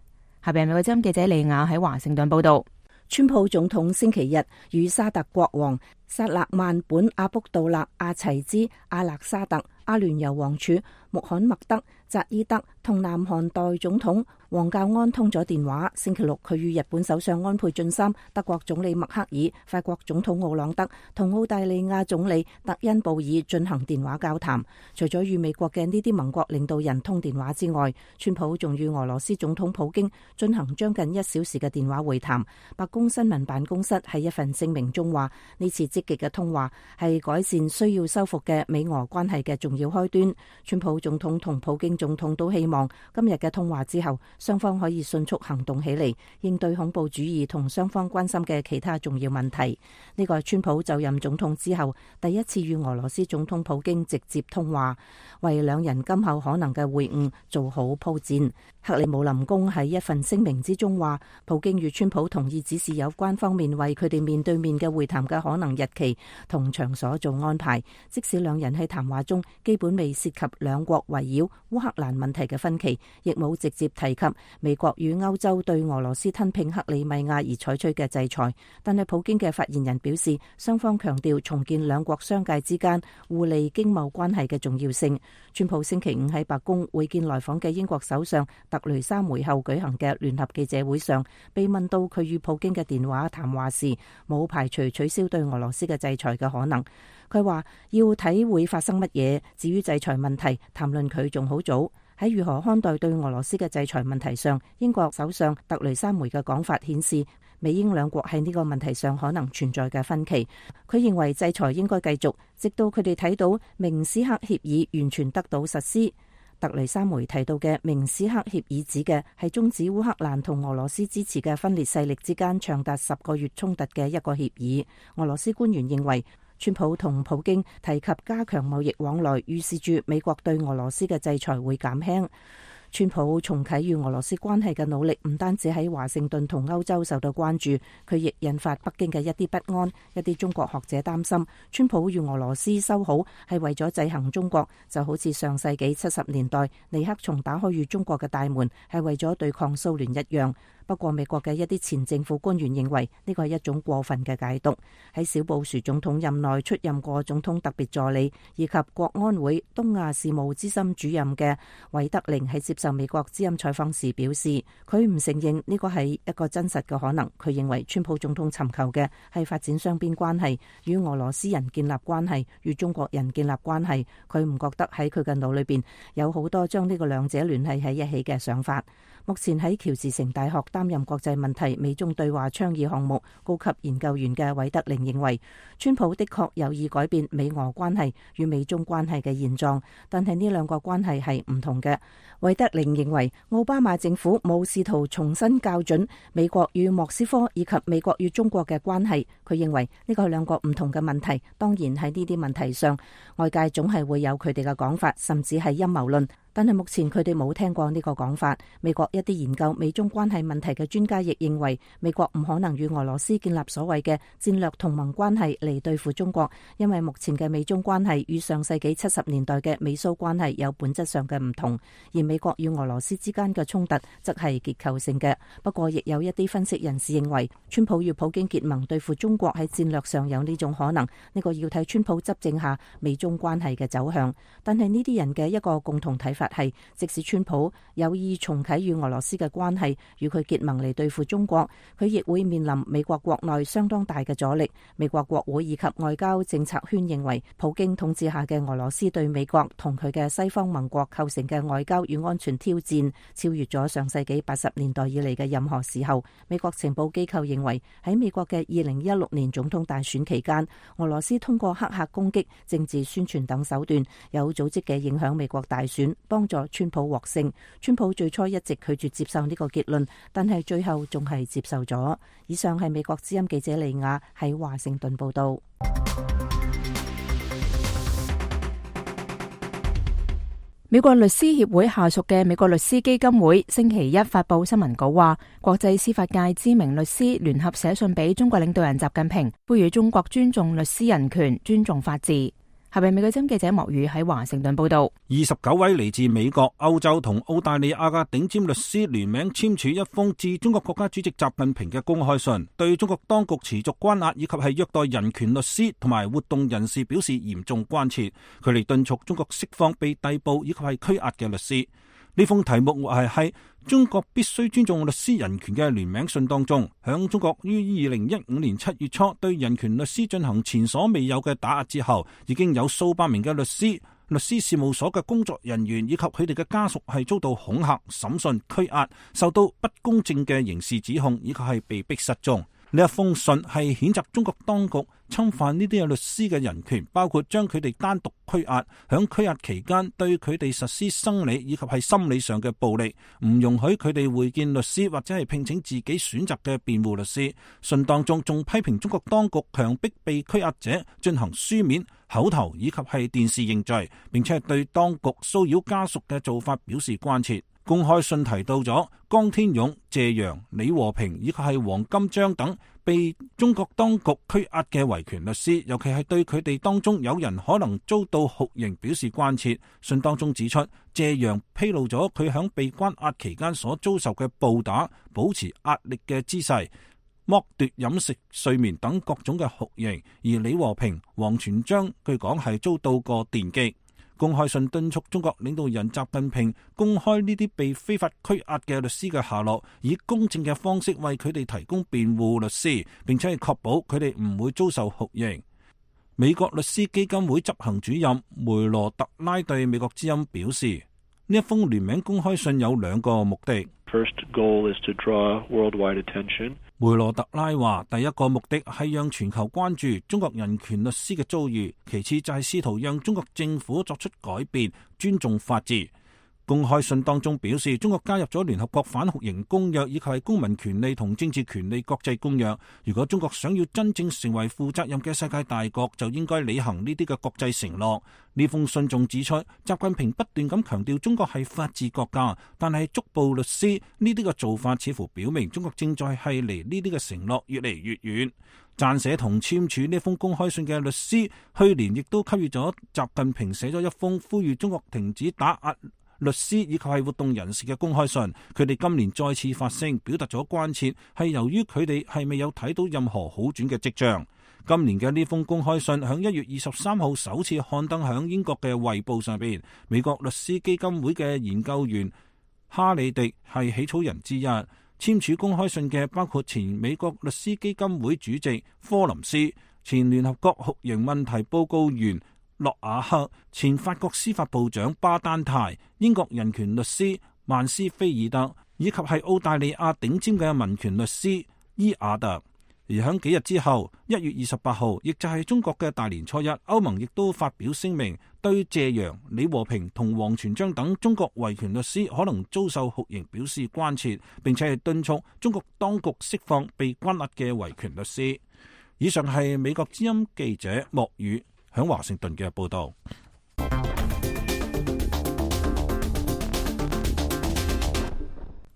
下邊美國之音記者利亞喺華盛頓報道。川普總統星期日與沙特國王薩勒曼本阿卜杜勒阿齊茲阿勒沙特、阿聯酋王儲穆罕默德扎伊德同南韓代總統王教安通咗電話。星期六，佢與日本首相安倍晉三、德國總理默克爾、法國總統奧朗德同澳大利亞總理特恩布爾進行電話交談。除咗與美國嘅呢啲盟國領導人通電話之外，川普仲與俄羅斯總統普京進行將近一小時嘅電話會談。白宮新聞辦公室喺一份聲明中話，呢次積極嘅通話係改善需要修復嘅美俄關係嘅重要開端。川普總統同普京總統都希望今日嘅通話之後，雙方可以迅速行動起嚟，應對恐怖主義同雙方關心嘅其他重要問題。呢個係川普就任總統之後第一次與俄羅斯總統普京直接通話，為兩人今後可能嘅會晤做好鋪墊。克里姆林宮喺一份聲明之中話，普京與川普同意指示有關方面為佢哋面對面嘅會談嘅可能日期同場所做安排，即使兩人喺談話中基本未涉及兩國圍繞烏克蘭問題嘅分歧，亦冇直接提及美國與歐洲對俄羅斯吞併克里米亞而採取嘅制裁。但係普京嘅發言人表示，雙方強調重建兩國商界之間互利經貿關係嘅重要性。川普星期五喺白宮會見來訪嘅英國首相特雷莎梅後舉行嘅聯合記者會上，被問到佢與普京嘅電話談話時，冇排除取消對俄羅斯嘅制裁嘅可能。佢話要睇會發生乜嘢，至於制裁問題，談論佢仲好早。喺如何看待對俄羅斯嘅制裁問題上，英國首相特雷莎梅嘅講法顯示，美英兩國喺呢個問題上可能存在嘅分歧。佢認為制裁應該繼續，直到佢哋睇到明斯克協議完全得到實施。特雷莎梅提到嘅明斯克協議指嘅係終止烏克蘭同俄羅斯支持嘅分裂勢力之間長達十個月衝突嘅一個協議。俄羅斯官員認為，川普同普京提及加強貿易往來，預示住美國對俄羅斯嘅制裁會減輕。川普重啟與俄羅斯關係嘅努力唔單止喺華盛頓同歐洲受到關注，佢亦引發北京嘅一啲不安。一啲中國學者擔心，川普與俄羅斯修好係為咗制衡中國，就好似上世紀七十年代尼克松打開與中國嘅大門係為咗對抗蘇聯一樣。不過美國嘅一啲前政府官員認為呢個係一種過分嘅解讀。喺小布殊總統任內出任過總統特別助理以及國安會東亞事務資深主任嘅韋德寧喺接受美國之音採訪時表示，佢唔承認呢個係一個真實嘅可能。佢認為川普總統尋求嘅係發展雙邊關係，與俄羅斯人建立關係，與中國人建立關係。佢唔覺得喺佢嘅腦裏邊有好多將呢個兩者聯繫喺一起嘅想法。目前喺喬治城大學擔任國際問題美中對話倡議項目高級研究員嘅韋德寧認為，川普的確有意改變美俄關係與美中關係嘅現狀，但係呢兩個關係係唔同嘅。韋德寧認為，奧巴馬政府冇試圖重新校準美國與莫斯科以及美國與中國嘅關係。佢認為呢個係兩個唔同嘅問題。當然喺呢啲問題上，外界總係會有佢哋嘅講法，甚至係陰謀論。但係目前佢哋冇聽過呢個講法。美國一啲研究美中關係問題嘅專家亦認為，美國唔可能與俄羅斯建立所謂嘅戰略同盟關係嚟對付中國，因為目前嘅美中關係與上世紀七十年代嘅美蘇關係有本質上嘅唔同，而美國與俄羅斯之間嘅衝突則係結構性嘅。不過，亦有一啲分析人士認為，川普與普京結盟對付中國喺戰略上有呢種可能，呢個要睇川普執政下美中關係嘅走向。但係呢啲人嘅一個共同睇法係，即使川普有意重啟與俄羅斯嘅關係，與佢結盟嚟對付中國，佢亦會面臨美國國內相當大嘅阻力。美國國會以及外交政策圈認為，普京統治下嘅俄羅斯對美國同佢嘅西方盟國構成嘅外交與安全挑戰，超越咗上世紀八十年代以嚟嘅任何時候。美國情報機構認為，喺美國嘅二零一六年總統大選期間，俄羅斯通過黑客攻擊、政治宣傳等手段，有組織嘅影響美國大選，幫助川普獲勝。川普最初一直拒絕接受呢個結論，但係最後仲係接受咗。以上係美國之音記者利亞喺華盛頓報道。美國律師協會下屬嘅美國律師基金會星期一發佈新聞稿話，國際司法界知名律師聯合寫信俾中國領導人習近平，呼籲中國尊重律師人權、尊重法治。下邊美國之音記者莫宇喺華盛頓報道。二十九位嚟自美國、歐洲同澳大利亞嘅頂尖律師聯名簽署一封致中國國家主席習近平嘅公開信，對中國當局持續關壓以及係虐待人權律師同埋活動人士表示嚴重關切。佢哋敦促中國釋放被逮捕以及係拘押嘅律師。呢封題目係喺中國必須尊重律師人權嘅聯名信當中，響中國於二零一五年七月初對人權律師進行前所未有嘅打壓之後，已經有數百名嘅律師、律師事務所嘅工作人員以及佢哋嘅家屬係遭到恐嚇、審訊、拘押，受到不公正嘅刑事指控，以及係被逼失蹤。呢一封信係譴責中國當局侵犯呢啲嘅律師嘅人權，包括將佢哋單獨拘押，響拘押期間對佢哋實施生理以及係心理上嘅暴力，唔容許佢哋會見律師或者係聘請自己選擇嘅辯護律師。信當中仲批評中國當局強迫被拘押者進行書面、口頭以及係電視認罪，並且係對當局騷擾家屬嘅做法表示關切。公開信提到咗江天勇、謝陽、李和平以及係黃金章等被中國當局拘押嘅維權律師，尤其係對佢哋當中有人可能遭到酷刑表示關切。信當中指出，謝陽披露咗佢響被關押期間所遭受嘅暴打、保持壓力嘅姿勢、剝奪飲食、睡眠等各種嘅酷刑，而李和平、王全璋據講係遭到過電擊。公開信敦促中國領導人習近平公開呢啲被非法拘押嘅律師嘅下落，以公正嘅方式為佢哋提供辯護律師，並且係確保佢哋唔會遭受酷刑。美國律師基金會執行主任梅羅特拉對美國之音表示，呢一封聯名公開信有兩個目的。First goal is to draw worldwide attention. 梅羅特拉話，第一個目的係讓全球關注中國人權律師嘅遭遇，其次就係試圖讓中國政府作出改變，尊重法治。公開信當中表示，中國加入咗聯合國反酷刑公約以及係公民權利同政治權利國際公約。如果中國想要真正成為負責任嘅世界大國，就應該履行呢啲嘅國際承諾。呢封信仲指出，習近平不斷咁強調中國係法治國家，但係捉捕律師呢啲嘅做法似乎表明中國正在係離呢啲嘅承諾越嚟越遠。撰寫同簽署呢封公開信嘅律師，去年亦都給予咗習近平寫咗一封呼籲中國停止打壓律師以及係活動人士嘅公開信。佢哋今年再次發聲，表達咗關切，係由於佢哋係未有睇到任何好轉嘅跡象。今年嘅呢封公開信響一月二十三號首次刊登響英國嘅《衛報》上邊。美國律師基金會嘅研究員哈里迪係起草人之一。簽署公開信嘅包括前美國律師基金會主席科林斯、前聯合國酷刑問題報告員諾瓦克、前法國司法部長巴丹泰、英國人權律師曼斯菲爾德，以及係澳大利亞頂尖嘅民權律師伊亞特。而喺幾日之後，一月二十八號，亦就係中國嘅大年初一，歐盟亦都發表聲明，對謝陽、李和平同王全璋等中國維權律師可能遭受酷刑表示關切，並且係敦促中國當局釋放被關押嘅維權律師。以上係美國之音記者莫宇響華盛頓嘅報道。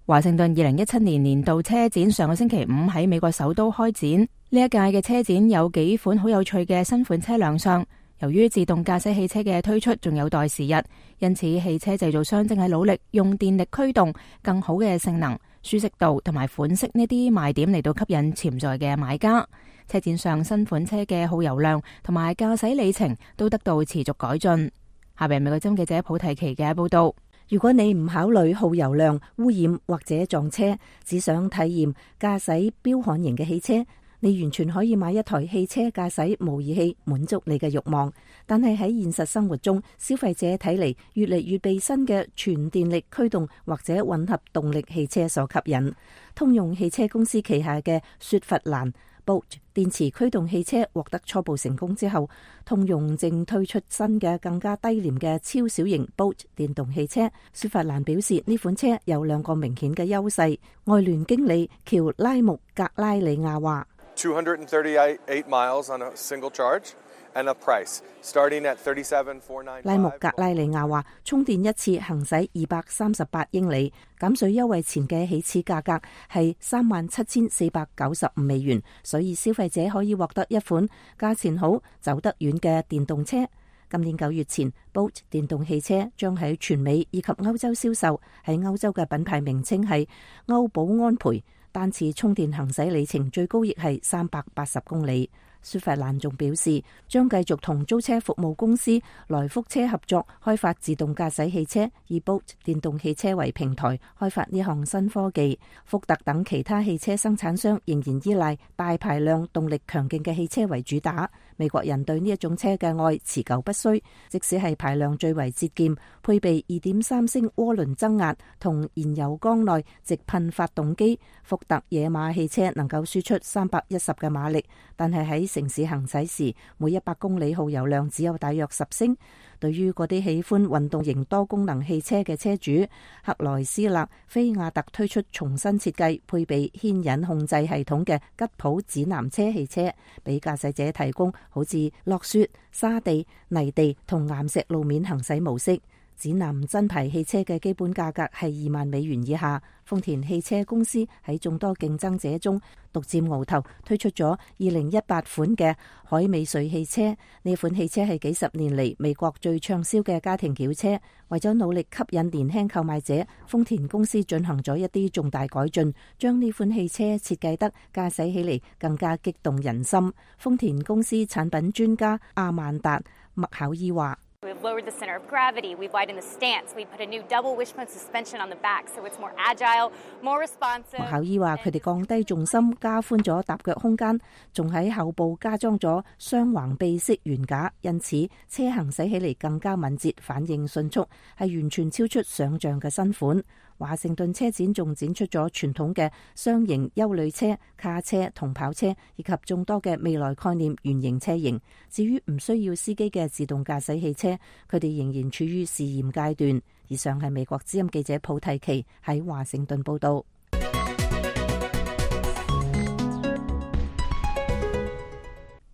華盛頓二零一七年年度車展上個星期五喺美國首都開展，呢一屆嘅車展有幾款好有趣嘅新款車亮相。由於自動駕駛汽車嘅推出仲有待時日，因此汽車製造商正係努力用電力驅動、更好嘅性能、舒適度同埋款式呢啲賣點嚟到吸引潛在嘅買家。車展上新款車嘅耗油量同埋駕駛里程都得到持續改進。下邊美國之音記者普提奇嘅報道。如果你唔考慮耗油量、污染或者撞車，只想體驗駕駛彪悍型嘅汽車，你完全可以買一台汽車駕駛模擬器，滿足你嘅慾望。但係喺現實生活中，消費者睇嚟越嚟越被新嘅全電力驅動或者混合動力汽車所吸引。通用汽車公司旗下嘅雪佛蘭Bolt 電池驅動汽車獲得初步成功之後，通用正推出新嘅更加低廉嘅超小型 Bolt 電動汽車。雪佛蘭表示呢款車有兩個明顯嘅優勢。外聯經理喬拉穆格拉里亞話two hundred thirty-eight miles on a single charge and a price starting at thirty-seven thousand four hundred ninety-five。拉穆格拉里亞話，充電一次行駛二百三十八英里，減稅優惠前嘅起始價格係三萬七千四百九十五美元，所以消費者可以獲得一款價錢好、走得遠嘅電動車。今年九月前 ，Bolt 電動汽車將喺全美以及歐洲銷售，喺歐洲嘅品牌名稱係歐寶安培。單次充電行駛里程最高亦係三百八十公里。雪佛蘭仲表示，將繼續同租車服務公司來福車合作，開發自動駕駛汽車，以 Bolt 電動汽車為平台，開發呢項新科技。福特等其他汽車生產商仍然依賴大排量、動力強勁嘅汽車為主打。美國人對呢一種車嘅愛持久不衰，即使係排量最為節儉，配備二點三升渦輪增壓同燃油缸內直噴發動機，福特野馬汽車能夠輸出三百一十嘅馬力，但係喺城市行駛時，每一百公里耗油量只有大約十升。對於嗰啲喜歡運動型多功能汽車嘅車主，克萊斯勒菲亞特推出重新設計、配備牽引控制系統嘅吉普指南車汽車，俾駕駛者提供好似落雪、沙地、泥地同岩石路面行駛模式。指南真牌汽車嘅基本價格係二萬美元以下。豐田汽車公司喺眾多競爭者中獨佔鰲頭，推出咗二零一八款嘅海美瑞汽車。呢款汽車係幾十年嚟美國最暢銷嘅家庭轎車。為咗努力吸引年輕購買者，豐田公司進行咗一啲重大改進，將呢款汽車設計得駕駛起嚟更加激動人心。豐田公司產品專家阿曼達麥考伊話We've lowered the center of gravity, we've widened the stance, we put a new double wishbone suspension on the back so it's more agile, more responsive. 麥考伊話佢哋降低重心，加寬咗踏腳空間，仲喺後部加裝咗雙橫臂式懸架，因此車行駛起嚟更加敏捷，反應迅速，係完全超出想象嘅新款。華盛頓車展仲展出咗傳統嘅雙型休旅車、卡車同跑車，以及眾多嘅未來概念原型車型。至於唔需要司機嘅自動駕駛汽車，佢哋仍然處於試驗階段。以上係美國之音記者普提奇喺華盛頓報道。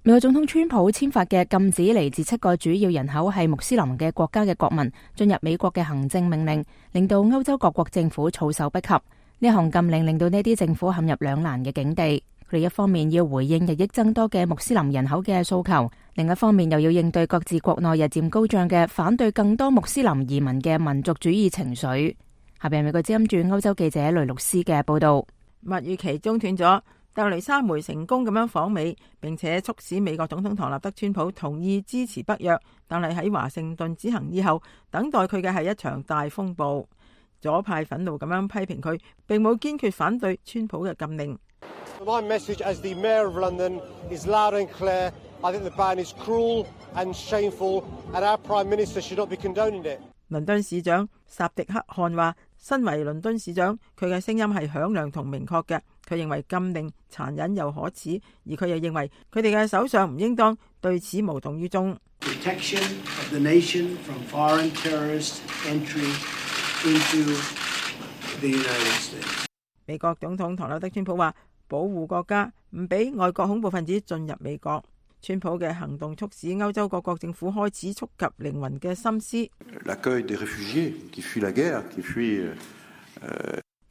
美國總統川普簽發嘅禁止嚟自七個主要人口係穆斯林嘅國家嘅國民進入美國嘅行政命令，令到歐洲各國政府措手不及。呢項禁令令到呢啲政府陷入兩難嘅境地。佢哋一方面要回應日益增多嘅穆斯林人口嘅訴求，另一方面又要應對各自國內日漸高漲嘅反對更多穆斯林移民嘅民族主義情緒。下邊係美國之音駐歐洲記者雷律斯嘅報道。蜜月期中斷咗。特蕾莎梅成功咁樣訪美，並且促使美國總統唐納德川普同意支持北約，但係喺華盛頓之行以後，等待佢嘅係一場大風暴。左派憤怒咁樣批評佢，並冇堅決反對川普嘅禁令。My message as the Mayor of London is loud and clear. I think the ban is cruel and shameful, and our Prime Minister should not be condoning it. 倫敦市長薩迪克汗話，身為倫敦市長，佢嘅聲音係響亮同明確嘅。佢認為禁令殘忍又可恥，而佢又認為佢哋嘅首相唔應當對此無動於衷。Protection of the nation from foreign terrorist entry into the United States. 美國總統唐納德川普話，保護國家，唔俾外國恐怖分子進入美國。川普嘅行動促使歐洲各國政府開始觸及靈魂嘅心思。L'accueil des réfugiés qui fuient la guerre, qui fuient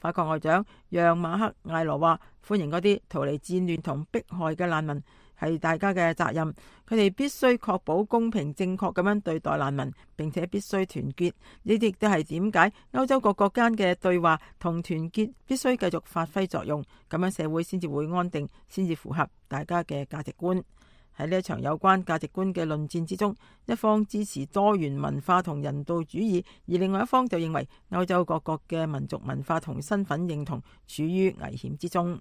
法國外長讓馬克艾羅話：歡迎嗰啲逃離戰亂同迫害嘅難民，係大家嘅責任。佢哋必須確保公平正確咁樣對待難民，並且必須團結。呢啲亦都係點解歐洲各國間嘅對話同團結必須繼續發揮作用，咁樣社會先至會安定，先至符合大家嘅價值觀。喺呢一場有關價值觀嘅論戰之中，一方支持多元文化同人道主義，而另外一方就認為歐洲各國嘅民族文化同身份認同處於危險之中。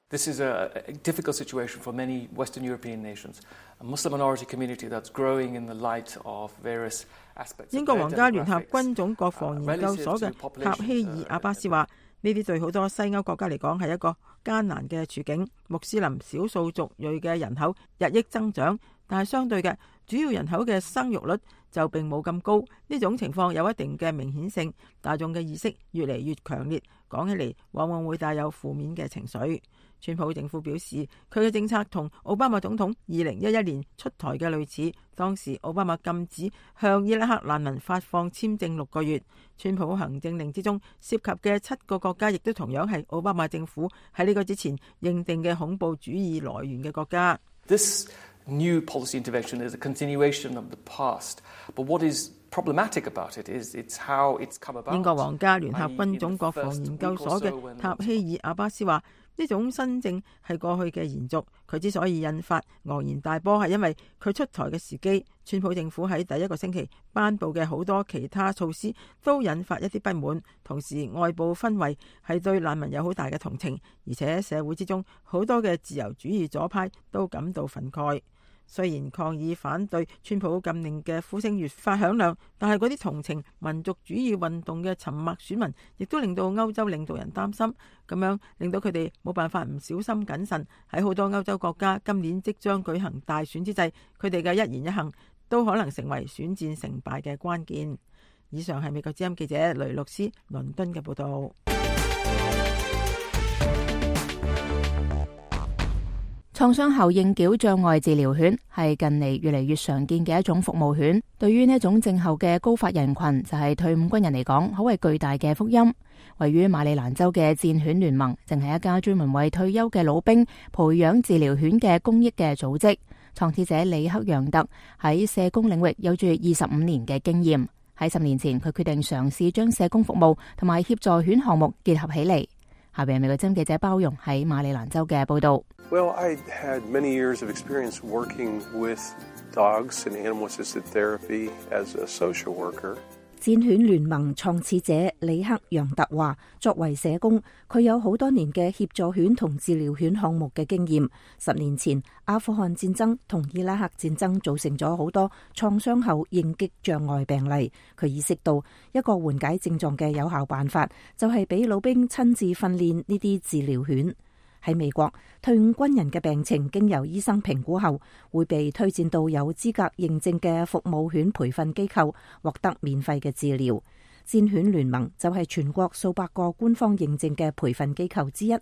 This is a difficult situation for many Western European nations, a Muslim minority community that's growing in the light of various aspects. 英國皇家聯合軍種國防研究所嘅塔希爾阿巴斯話：呢啲對好多西歐國家嚟講係一個艱難嘅處境。穆斯林少數族裔嘅人口日益增長，但係相對嘅主要人口嘅生育率就並冇咁高。呢種情況有一定嘅明顯性，大眾嘅意識越嚟越強烈，講起嚟往往會帶有負面嘅情緒。川普政府表示，佢嘅政策同奧巴馬總統二零一一年出台嘅類似。當時奧巴馬禁止向伊拉克難民發放簽證六個月。川普行政令之中涉及嘅七個國家，亦都同樣係奧巴馬政府喺呢個之前認定嘅恐怖主義來源嘅國家。This new policy intervention is a continuation of the past, but what is problematic about it is it's how it's come about. 英國皇家聯合軍種國防研究所嘅塔希爾阿巴斯話：呢種新政係過去嘅延續，佢之所以引發昂然大波，係因為佢出台嘅時機。川普政府喺第一個星期頒布嘅好多其他措施都引發一啲不滿，同時外部氛圍係對難民有好大嘅同情，而且社會之中好多嘅自由主義左派都感到憤慨。雖然抗議反對川普禁令嘅呼聲越發響亮，但係嗰啲同情民族主義運動嘅沉默選民，亦都令到歐洲領導人擔心，咁樣令到佢哋冇辦法唔小心謹慎。喺好多歐洲國家今年即將舉行大選之際，佢哋嘅一言一行都可能成為選戰成敗嘅關鍵。以上係美國之音記者雷洛斯倫敦嘅報道。創傷後應繳障礙治療犬係近嚟越嚟越常見嘅一種服務犬。對於呢種症候嘅高發人群，就係退伍軍人嚟講，可謂巨大嘅福音。位於馬里蘭州嘅戰犬聯盟，正係一家專門為退休嘅老兵培養治療犬嘅公益嘅組織。創始者里克楊特喺社工領域有住二十五年嘅經驗。喺十年前，佢決定嘗試將社工服務同埋協助犬項目結合起嚟。下邊係美國之音記者包容喺馬里蘭州嘅報道。Well, I had many years of experience working with dogs and animal-assisted therapy as a social worker. 戰犬聯盟創始者里克楊特話：作為社工，佢有好多年嘅協助犬同治療犬項目嘅經驗。十年前，阿富汗戰爭同伊拉克戰爭造成咗好多創傷後應激障礙病例。佢意識到一個緩解症狀嘅有效辦法，就係俾老兵親自訓練呢啲治療犬。喺美國，退伍軍人嘅病情經由醫生評估後，會被推薦到有資格認證嘅服務犬培訓機構，獲得免費嘅治療。戰犬聯盟就係全國數百個官方認證嘅培訓機構之一。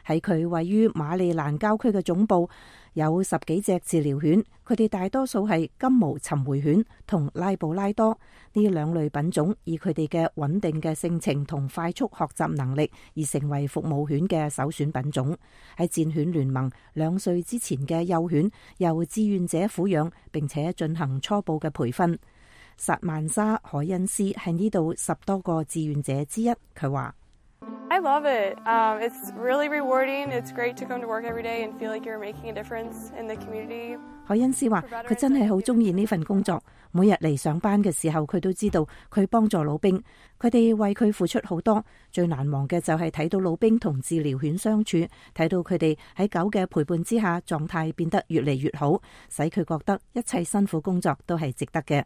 喺佢位於馬里蘭郊區嘅總部，有十幾隻治療犬，佢哋大多數係金毛尋回犬同拉布拉多呢兩類品種，以佢哋嘅穩定嘅性情同快速學習能力而成為服務犬嘅首選品種。喺戰犬聯盟，兩歲之前嘅幼犬由志願者撫養，並且進行初步嘅培訓。薩曼莎·海恩斯係呢度十多個志願者之一，佢話I love it. Um, it's really rewarding. It's great to come to work every day and feel like you're making a difference in the community. 海恩斯話佢真係好中意呢份工作，每日嚟上班嘅時候，佢都知道佢幫助老兵，佢哋為佢付出好多。最難忘嘅就係睇到老兵同治療犬相處，睇到佢哋喺狗嘅陪伴之下，狀態變得越嚟越好，使佢覺得一切辛苦工作都係值得嘅。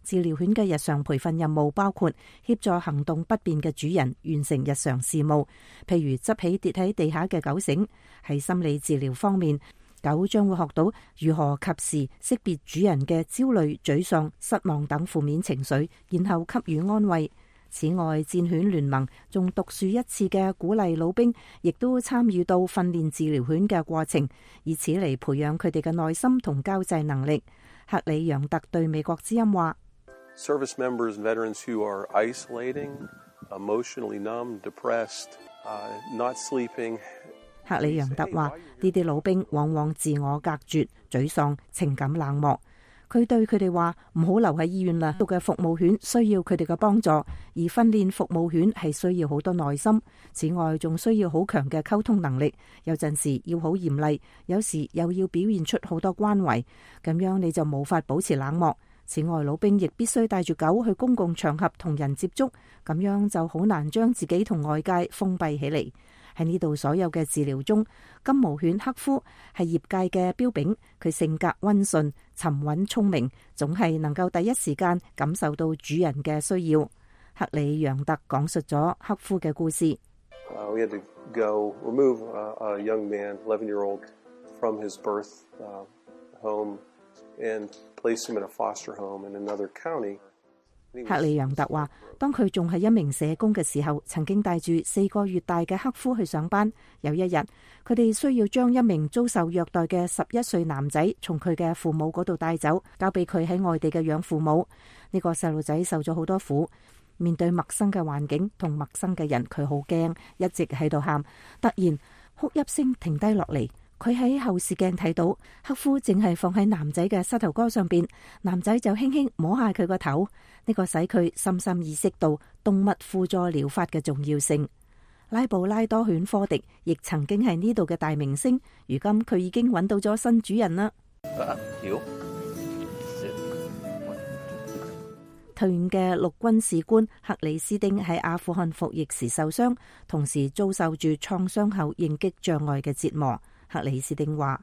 治療犬嘅日常培訓任務包括協助行動不便嘅主人完成日常事務，譬如執起跌喺地下嘅狗繩。喺心理治療方面，狗將會學到如何及時識別主人嘅焦慮、沮喪、失望等負面情緒，然後給予安慰。此外，戰犬聯盟仲獨樹一幟嘅鼓勵老兵，亦都參與到訓練治療犬嘅過程，以此嚟培養佢哋嘅耐心同交際能力。克里楊特對美國之音話：Service members and veterans who are isolating emotionally numb, depressed, uh, not sleeping. 克里楊特話：呢啲老兵往往自我隔絕、沮喪、情感冷漠。佢對佢哋話：唔好留喺醫院啦，度嘅服務犬需要佢哋嘅幫助，而訓練服務犬係需要好多耐心。此外，仲需要好強嘅溝通能力，有陣時要好嚴厲，有時又要表現出好多關懷，咁樣你就無法保持冷漠。此外，老兵亦必須帶住狗去公共場合同人接觸，咁樣就好難將自己同外界封閉起嚟。喺呢度所有嘅治療中，金毛犬克夫係業界嘅標炳。佢性格溫順、沉穩、聰明，總係能夠第一時間感受到主人嘅需要。克里楊特講述咗克夫嘅故事。Uh, we had to go remove a, a young man, eleven-year-old, from his birth uh, home and place him in a foster home in another county. 克里楊特話：當佢仲係一名社工嘅時候，曾經帶住四個月大嘅克夫去上班。有一日，佢哋需要將一名遭受虐待嘅十一歲男仔從佢嘅父母嗰度帶走，交俾佢喺外地嘅養父母。呢個細路仔受咗好多苦，面對陌生嘅環境同陌生嘅人，佢好驚，一直喺度喊。突然，哭泣聲停低落嚟。佢喺後視鏡睇到克夫淨係放喺男仔嘅膝頭哥上邊，男仔就輕輕摸下佢個頭，呢個使佢深深意識到動物輔助療法嘅重要性。拉布拉多犬科迪亦曾經係呢度嘅大明星，如今佢已經揾到咗新主人啦。退伍嘅陸軍士官克里斯丁喺阿富汗服役時受傷，同時遭受住創傷後應激障礙嘅折磨。克里斯丁話：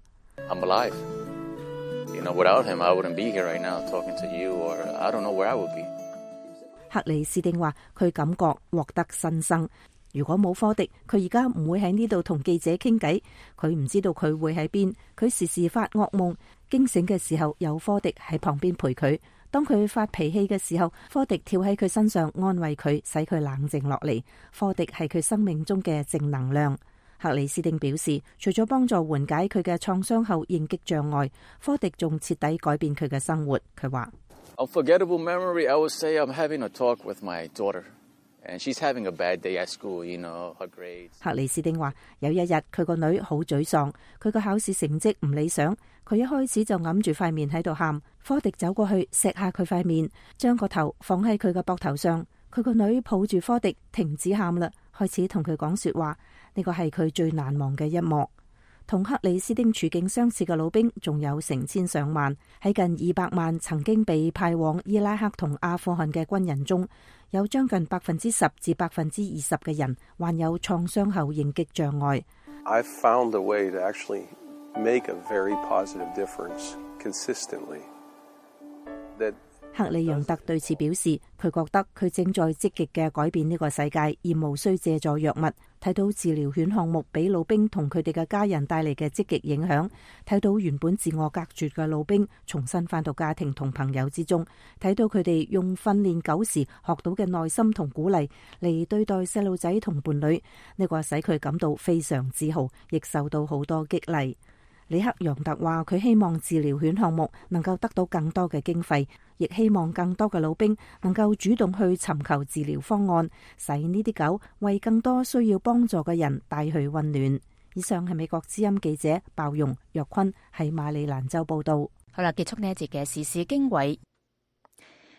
克里斯丁話佢感覺獲得新生。如果冇科迪，佢而家唔會喺呢度同記者傾偈。佢唔知道佢會喺邊。佢時時發噩夢，驚醒嘅時候有科迪喺旁邊陪佢。當佢發脾氣嘅時候，科迪跳喺佢身上安慰佢，使佢冷靜落嚟。科迪係佢生命中嘅正能量。克里斯丁表示，除咗幫助緩解佢嘅創傷後應激障礙，科迪仲徹底改變佢嘅生活。佢話：Unforgettable memory, I would say I'm having a talk with my daughter, and she's having a bad day at school. You know, her grades. 克里斯丁話：有一日佢個女好沮喪，佢個考試成績唔理想，佢一開始就揞住塊面喺度喊。科迪走過去錫下佢塊面，將個頭放喺佢嘅膊頭上。佢個女抱住科迪停止喊啦，開始同佢講說話。呢個係佢最難忘嘅一幕。同克里斯丁處境相似嘅老兵仲有成千上萬，喺近二百萬曾經被派往伊拉克同阿富汗嘅軍人中，有將近百分之十至百分之二十嘅人患有創傷後應激障礙。I've found a way to actually make a very positive difference consistently. That 克里楊特對此表示，佢覺得佢正在積極嘅改變呢個世界，而無需借助藥物。睇到治療犬項目俾老兵同佢哋嘅家人帶嚟嘅積極影響，睇到原本自我隔絕嘅老兵重新返到家庭同朋友之中，睇到佢哋用訓練狗時學到嘅耐心同鼓勵嚟對待細路仔同伴侶，呢個使佢感到非常自豪，亦受到好多激勵。里克楊特話：佢希望治療犬項目能夠得到更多嘅經費，亦希望更多嘅老兵能夠主動去尋求治療方案，使呢啲狗為更多需要幫助嘅人帶去溫暖。以上係美國之音記者鮑容若坤喺馬里蘭州報道。好啦，結束呢一節嘅時事經緯。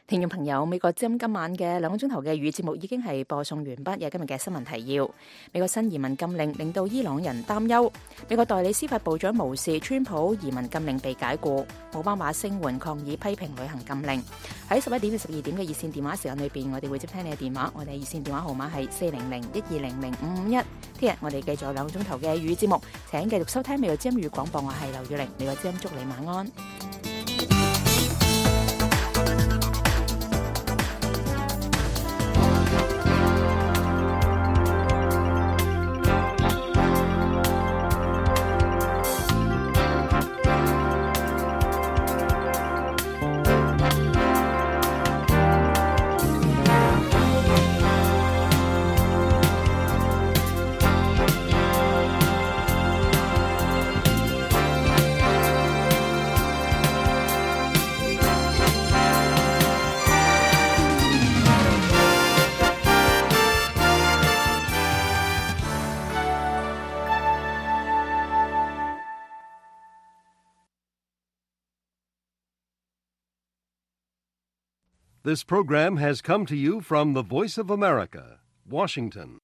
聽眾朋友，美國之音今晚嘅兩個鐘頭嘅語節目已經係播送完畢。有今日嘅新聞提要：美國新移民禁令令到伊朗人擔憂；美國代理司法部長無視川普移民禁令被解雇；奧巴馬聲援抗議批評旅行禁令。喺十一點至十二點嘅熱線電話時間裏邊，我哋會接聽你嘅電話。我哋熱線電話號碼係四零零一二零零五五一。聽日我哋繼續兩個鐘頭嘅語節目，請繼續收聽美國之音語廣播。我係劉雨玲，美國之音祝你晚安。This program has come to you from the Voice of America, Washington.